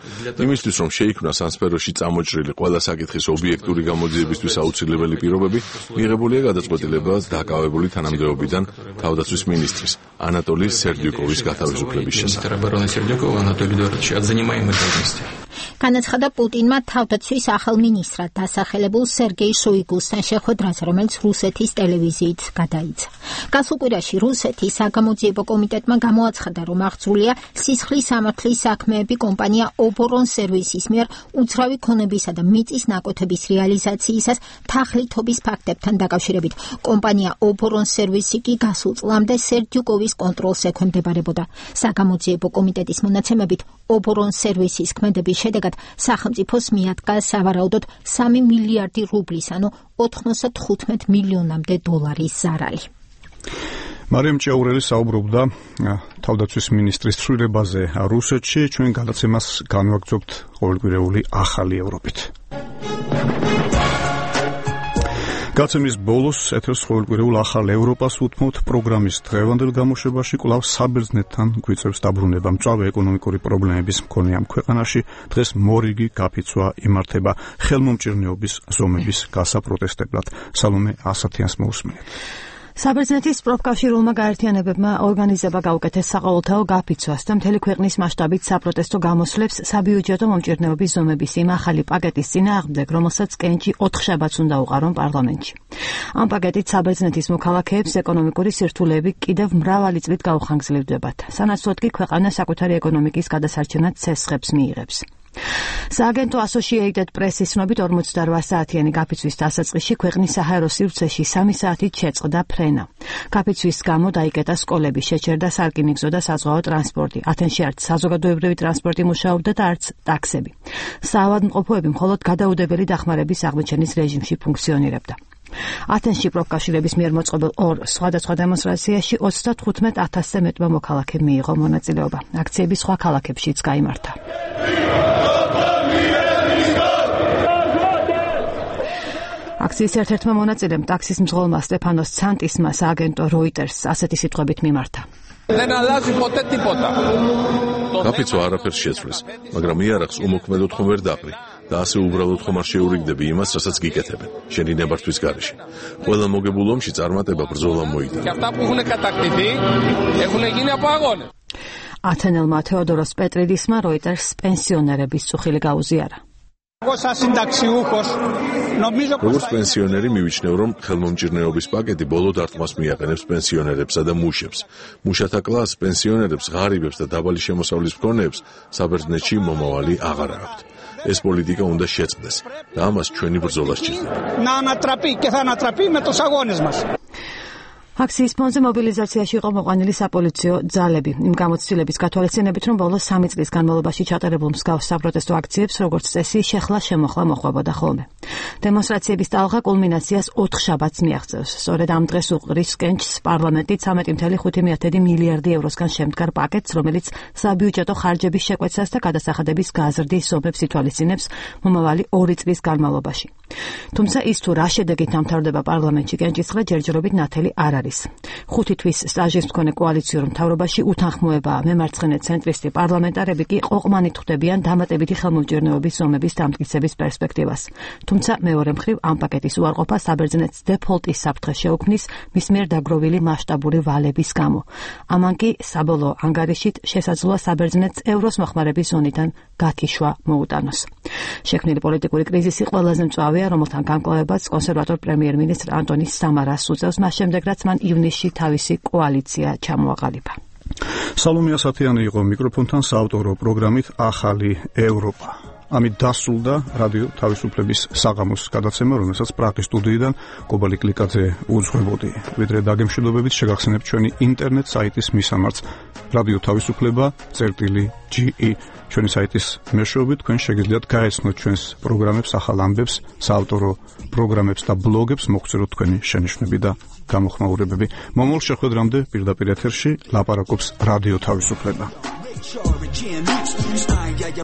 Speaker 6: იმისთვის, რომ შეიქმნას ამ სფეროში წამოჭრილი ყველა საკითხის ობიექტური გამოძიებისთვის აუცილებელი პირობები, მიღებულია გადაწყვეტილება დაკავებული თანამდებობიდან თავდაცვის მინისტრის ანატოლი სერდიუკოვის გათავისუფლების შესახებ.
Speaker 5: განაცხადა პუტინმა თავდაცვის ახალ მინისტრად დასახელებულ სერგეი შოიგუსთან შეხვედრაზე, რომელიც რუსეთის ტელევიზიით გადაიცა. გასულ კვირაში რუსეთის საგამოძიებო კომიტეტმა გამოაცხადა, რომ აღძრულია სისხლის სამართლის საქმეები კომპანია ობორონ სერვისის მიერ უძრავი ქონებისა და მიწის ნაკვეთების რეალიზაციისას თაღლითობის ფაქტებთან დაკავშირებით. კომპანია ობორონ სერვისი კი გასულ წლამდე სერდიუკოვის კონტროლს ექვემდებარებოდა. საგამოძიებო კომიტეტის მონაცემებით ობორონ სერვისის ქმედების შედეგად სახელმწიფოს მიადგა სავარაუდოდ სამი მილიარდი რუბლის, ანუ ოთხმოცდათხუთმეტ მილიონამდე დოლარის ზარალი.
Speaker 1: მარიამ ჭიაურელი საუბრობდა თავდაცვის მინისტრის ცვლილებაზე რუსეთში. ჩვენ გადაცემას განვაგრძობთ ყოველკვირეული ახალი ევროპით. გაცემის ბოლოს ეთერს ყოველკვირეულ ახალ ევროპას უთმობთ. პროგრამის დღევანდელ გამოშვებაში კვლავ საბერძნეთთან გვიწევს დაბრუნება. მწვავე ეკონომიკური პრობლემების მქონე ამ ქვეყანაში დღეს მორიგი გაფიცვა იმართება ხელმომჭირნეობის ზომების გასაპროტესტებლად. სალომე ასათიანს მოусმინეთ.
Speaker 2: საბერძნეთის პროფკავშირულმა გაერთიანებებმა ორგანიზება გაუკეთეს საყოველთაო გაფიცვას და მთელი ქვეყნის მასშტაბით საპროტესტო გამოსვლებს საბიუჯეტო მომჭირნეობის ზომების იმ ახალი პაკეტის წინააღმდეგ, რომელსაც კენჭი ოთხშაბათს უნდა უყარონ პარლამენტში. ამ პაკეტით საბერძნეთის მოქალაქეებს ეკონომიკური სირთულეები კიდევ მრავალი წლით გაუხანგრძლივდებათ. სანაცვლოდ კი ქვეყანა საკუთარი ეკონომიკის გადასარჩენად ცესხებს მიიღებს. სააგენტო Associated Press-ის ცნობით ორმოცდარვა საათიანი გაფიცვის დასაწყისში ქვეყნის საჰაერო სივრცეში სამი საათით შეწყდა ფრენა. გაფიცვის გამო დაიკეტა სკოლები, შეჩერდა სარკინიგზო და საზღვაო ტრანსპორტი. ათენში არც საზოგადოებრივი ტრანსპორტი მუშაობდა და არც ტაქსები. საავადმყოფოები მხოლოდ გადაუდებელი დახმარების აღმოჩენის რეჟიმში ფუნქციონირებდა. ათენში პროფკავშირების მიერ მოწყობილ ორ სხვადასხვა დემონსტრაციაში ოცდათხუთმეტ ათასზე მეტმა მოქალაქემ მიიღო მონაწილეობა. აქციები სხვა ქალაქებშიც გაიმართა. აქციის ერთ-ერთმა მონაწილემ ტაქსის მძღოლმა სტეფანოს ცანტისმა სააგენტო Reuters ასეთი სიტყვებით მიმართა.
Speaker 6: გაფიცვა არაფერს შეცვლის, მაგრამ იარაღს უმოქმედოდ ხომ ვერ დაყრი. და ასე უბრალოდ ხომ არ შეურიგდები იმას, რასაც გიკეთებენ შენი ნებართვის გარეშე. ყველა მოგებულ ომში წარმატება ბრძოლა მოიტანა.
Speaker 2: ათენელმა თეოდოროს პეტრიდისმა როიტერს პენსიონერების წუხილი გაუზიარა.
Speaker 6: როგორც პენსიონერი მივიჩნევ, რომ ხელმომჭირნეობის პაკეტი ბოლო დარტყმას მიაყენებს პენსიონერებსა და მუშებს. მუშათა კლასს, პენსიონერებს, ღარიბებს და დაბალი შემოსავლის მქონეებს საბერძნეთში მომავალი აღარ აქვთ. ეს პოლიტიკა უნდა შეწყდეს და ამას ჩვენი ბრძოლა სჭირდება.
Speaker 2: აქციის ფონზე მობილიზაციაში იყო მოყვანილი საპოლიციო ძალები. იმ გამოცდილების გათვალისწინებით, რომ ბოლოს სამი წლის განმავლობაში ჩატარებულ მსგავს საპროტესტო აქციებს, როგორც წესი, შეხლა-შემოხლა მოხვდებოდა ხოლმე. დემონსტრაციების ტალღა კულმინაციას ოთხ შაბათს მიაღწევს. სწორედ ამ დღეს უყრის კენჭს პარლამენტი ცამეტი კoma ხუთი მილიარდი ევროსგან შემდგარ პაკეტს, რომელიც საბიუჯეტო ხარჯების შეკვეცას და გადასახადების გაზრდის ზომებს ითვალისწინებს მომავალი ორი წლის განმავლობაში. თუმცა ის თუ რა შედეგით დამთავრდება პარლამენტში კენჭისყრა ჯერჯერობით ნათელი არ არის. ხუთი თვის სტაჟის მქონე კოალიციურ მთავრობაში უთანხმოებაა. მემარცხენე ცენტრისტი პარლამენტარები კი ყოყმანით ხვდებიან დამატებითი ხელმომჭირნეობის ზომების დამტკიცების პერსპექტივას. თუმცა მეორე მხრივ ამ პაკეტის უარყოფა საბერძნეთს დეფოლტის საფრთხეს შეუქმნის მის მიერ დაგროვილი მასშტაბური ვალების გამო. ამან კი საბოლოო ანგარიშით შესაძლოა საბერძნეთს ევროს მოხმარების ზონიდან გაქიშვა მოუტანოს. შექმნილი პოლიტიკური კრიზისი ყველაზე მწვავეა, რომელთან განკლავებაც კონსერვატორ პრემიერ-მინისტრ ანტონი სამარას უწევს, მას შემდეგ რაც მან ივნისში თავისი კოალიცია ჩამოაყალიბა.
Speaker 1: სალომე ასათიანი იყო მიკროფონთან საავტორო პროგრამით ახალი ევროპა. ამით დასრულდა რადიო თავისუფლების საღამოს გადაცემა, რომელსაც პრაღის სტუდიიდან კობალი კლიკაძე უძღვებოდი. ვიდრე დაგემშვიდობებით შეგახსენებთ ჩვენი ინტერნეტ საიტის მისამართს რადიო თავისუფლება წერტილი ჯი ი. ჩვენი საიტის მეშვეობით თქვენ შეგიძლიათ გაეცნოთ ჩვენს პროგრამებს, ახალ ამბებს, საავტორო პროგრამებს და ბლოგებს, მოგწეროთ თქვენი შენიშვნები და გამოხმაურებები. მომავალ შეხვედრამდე პირდაპირ ეთერში ლაპარაკობს რადიო თავისუფლება.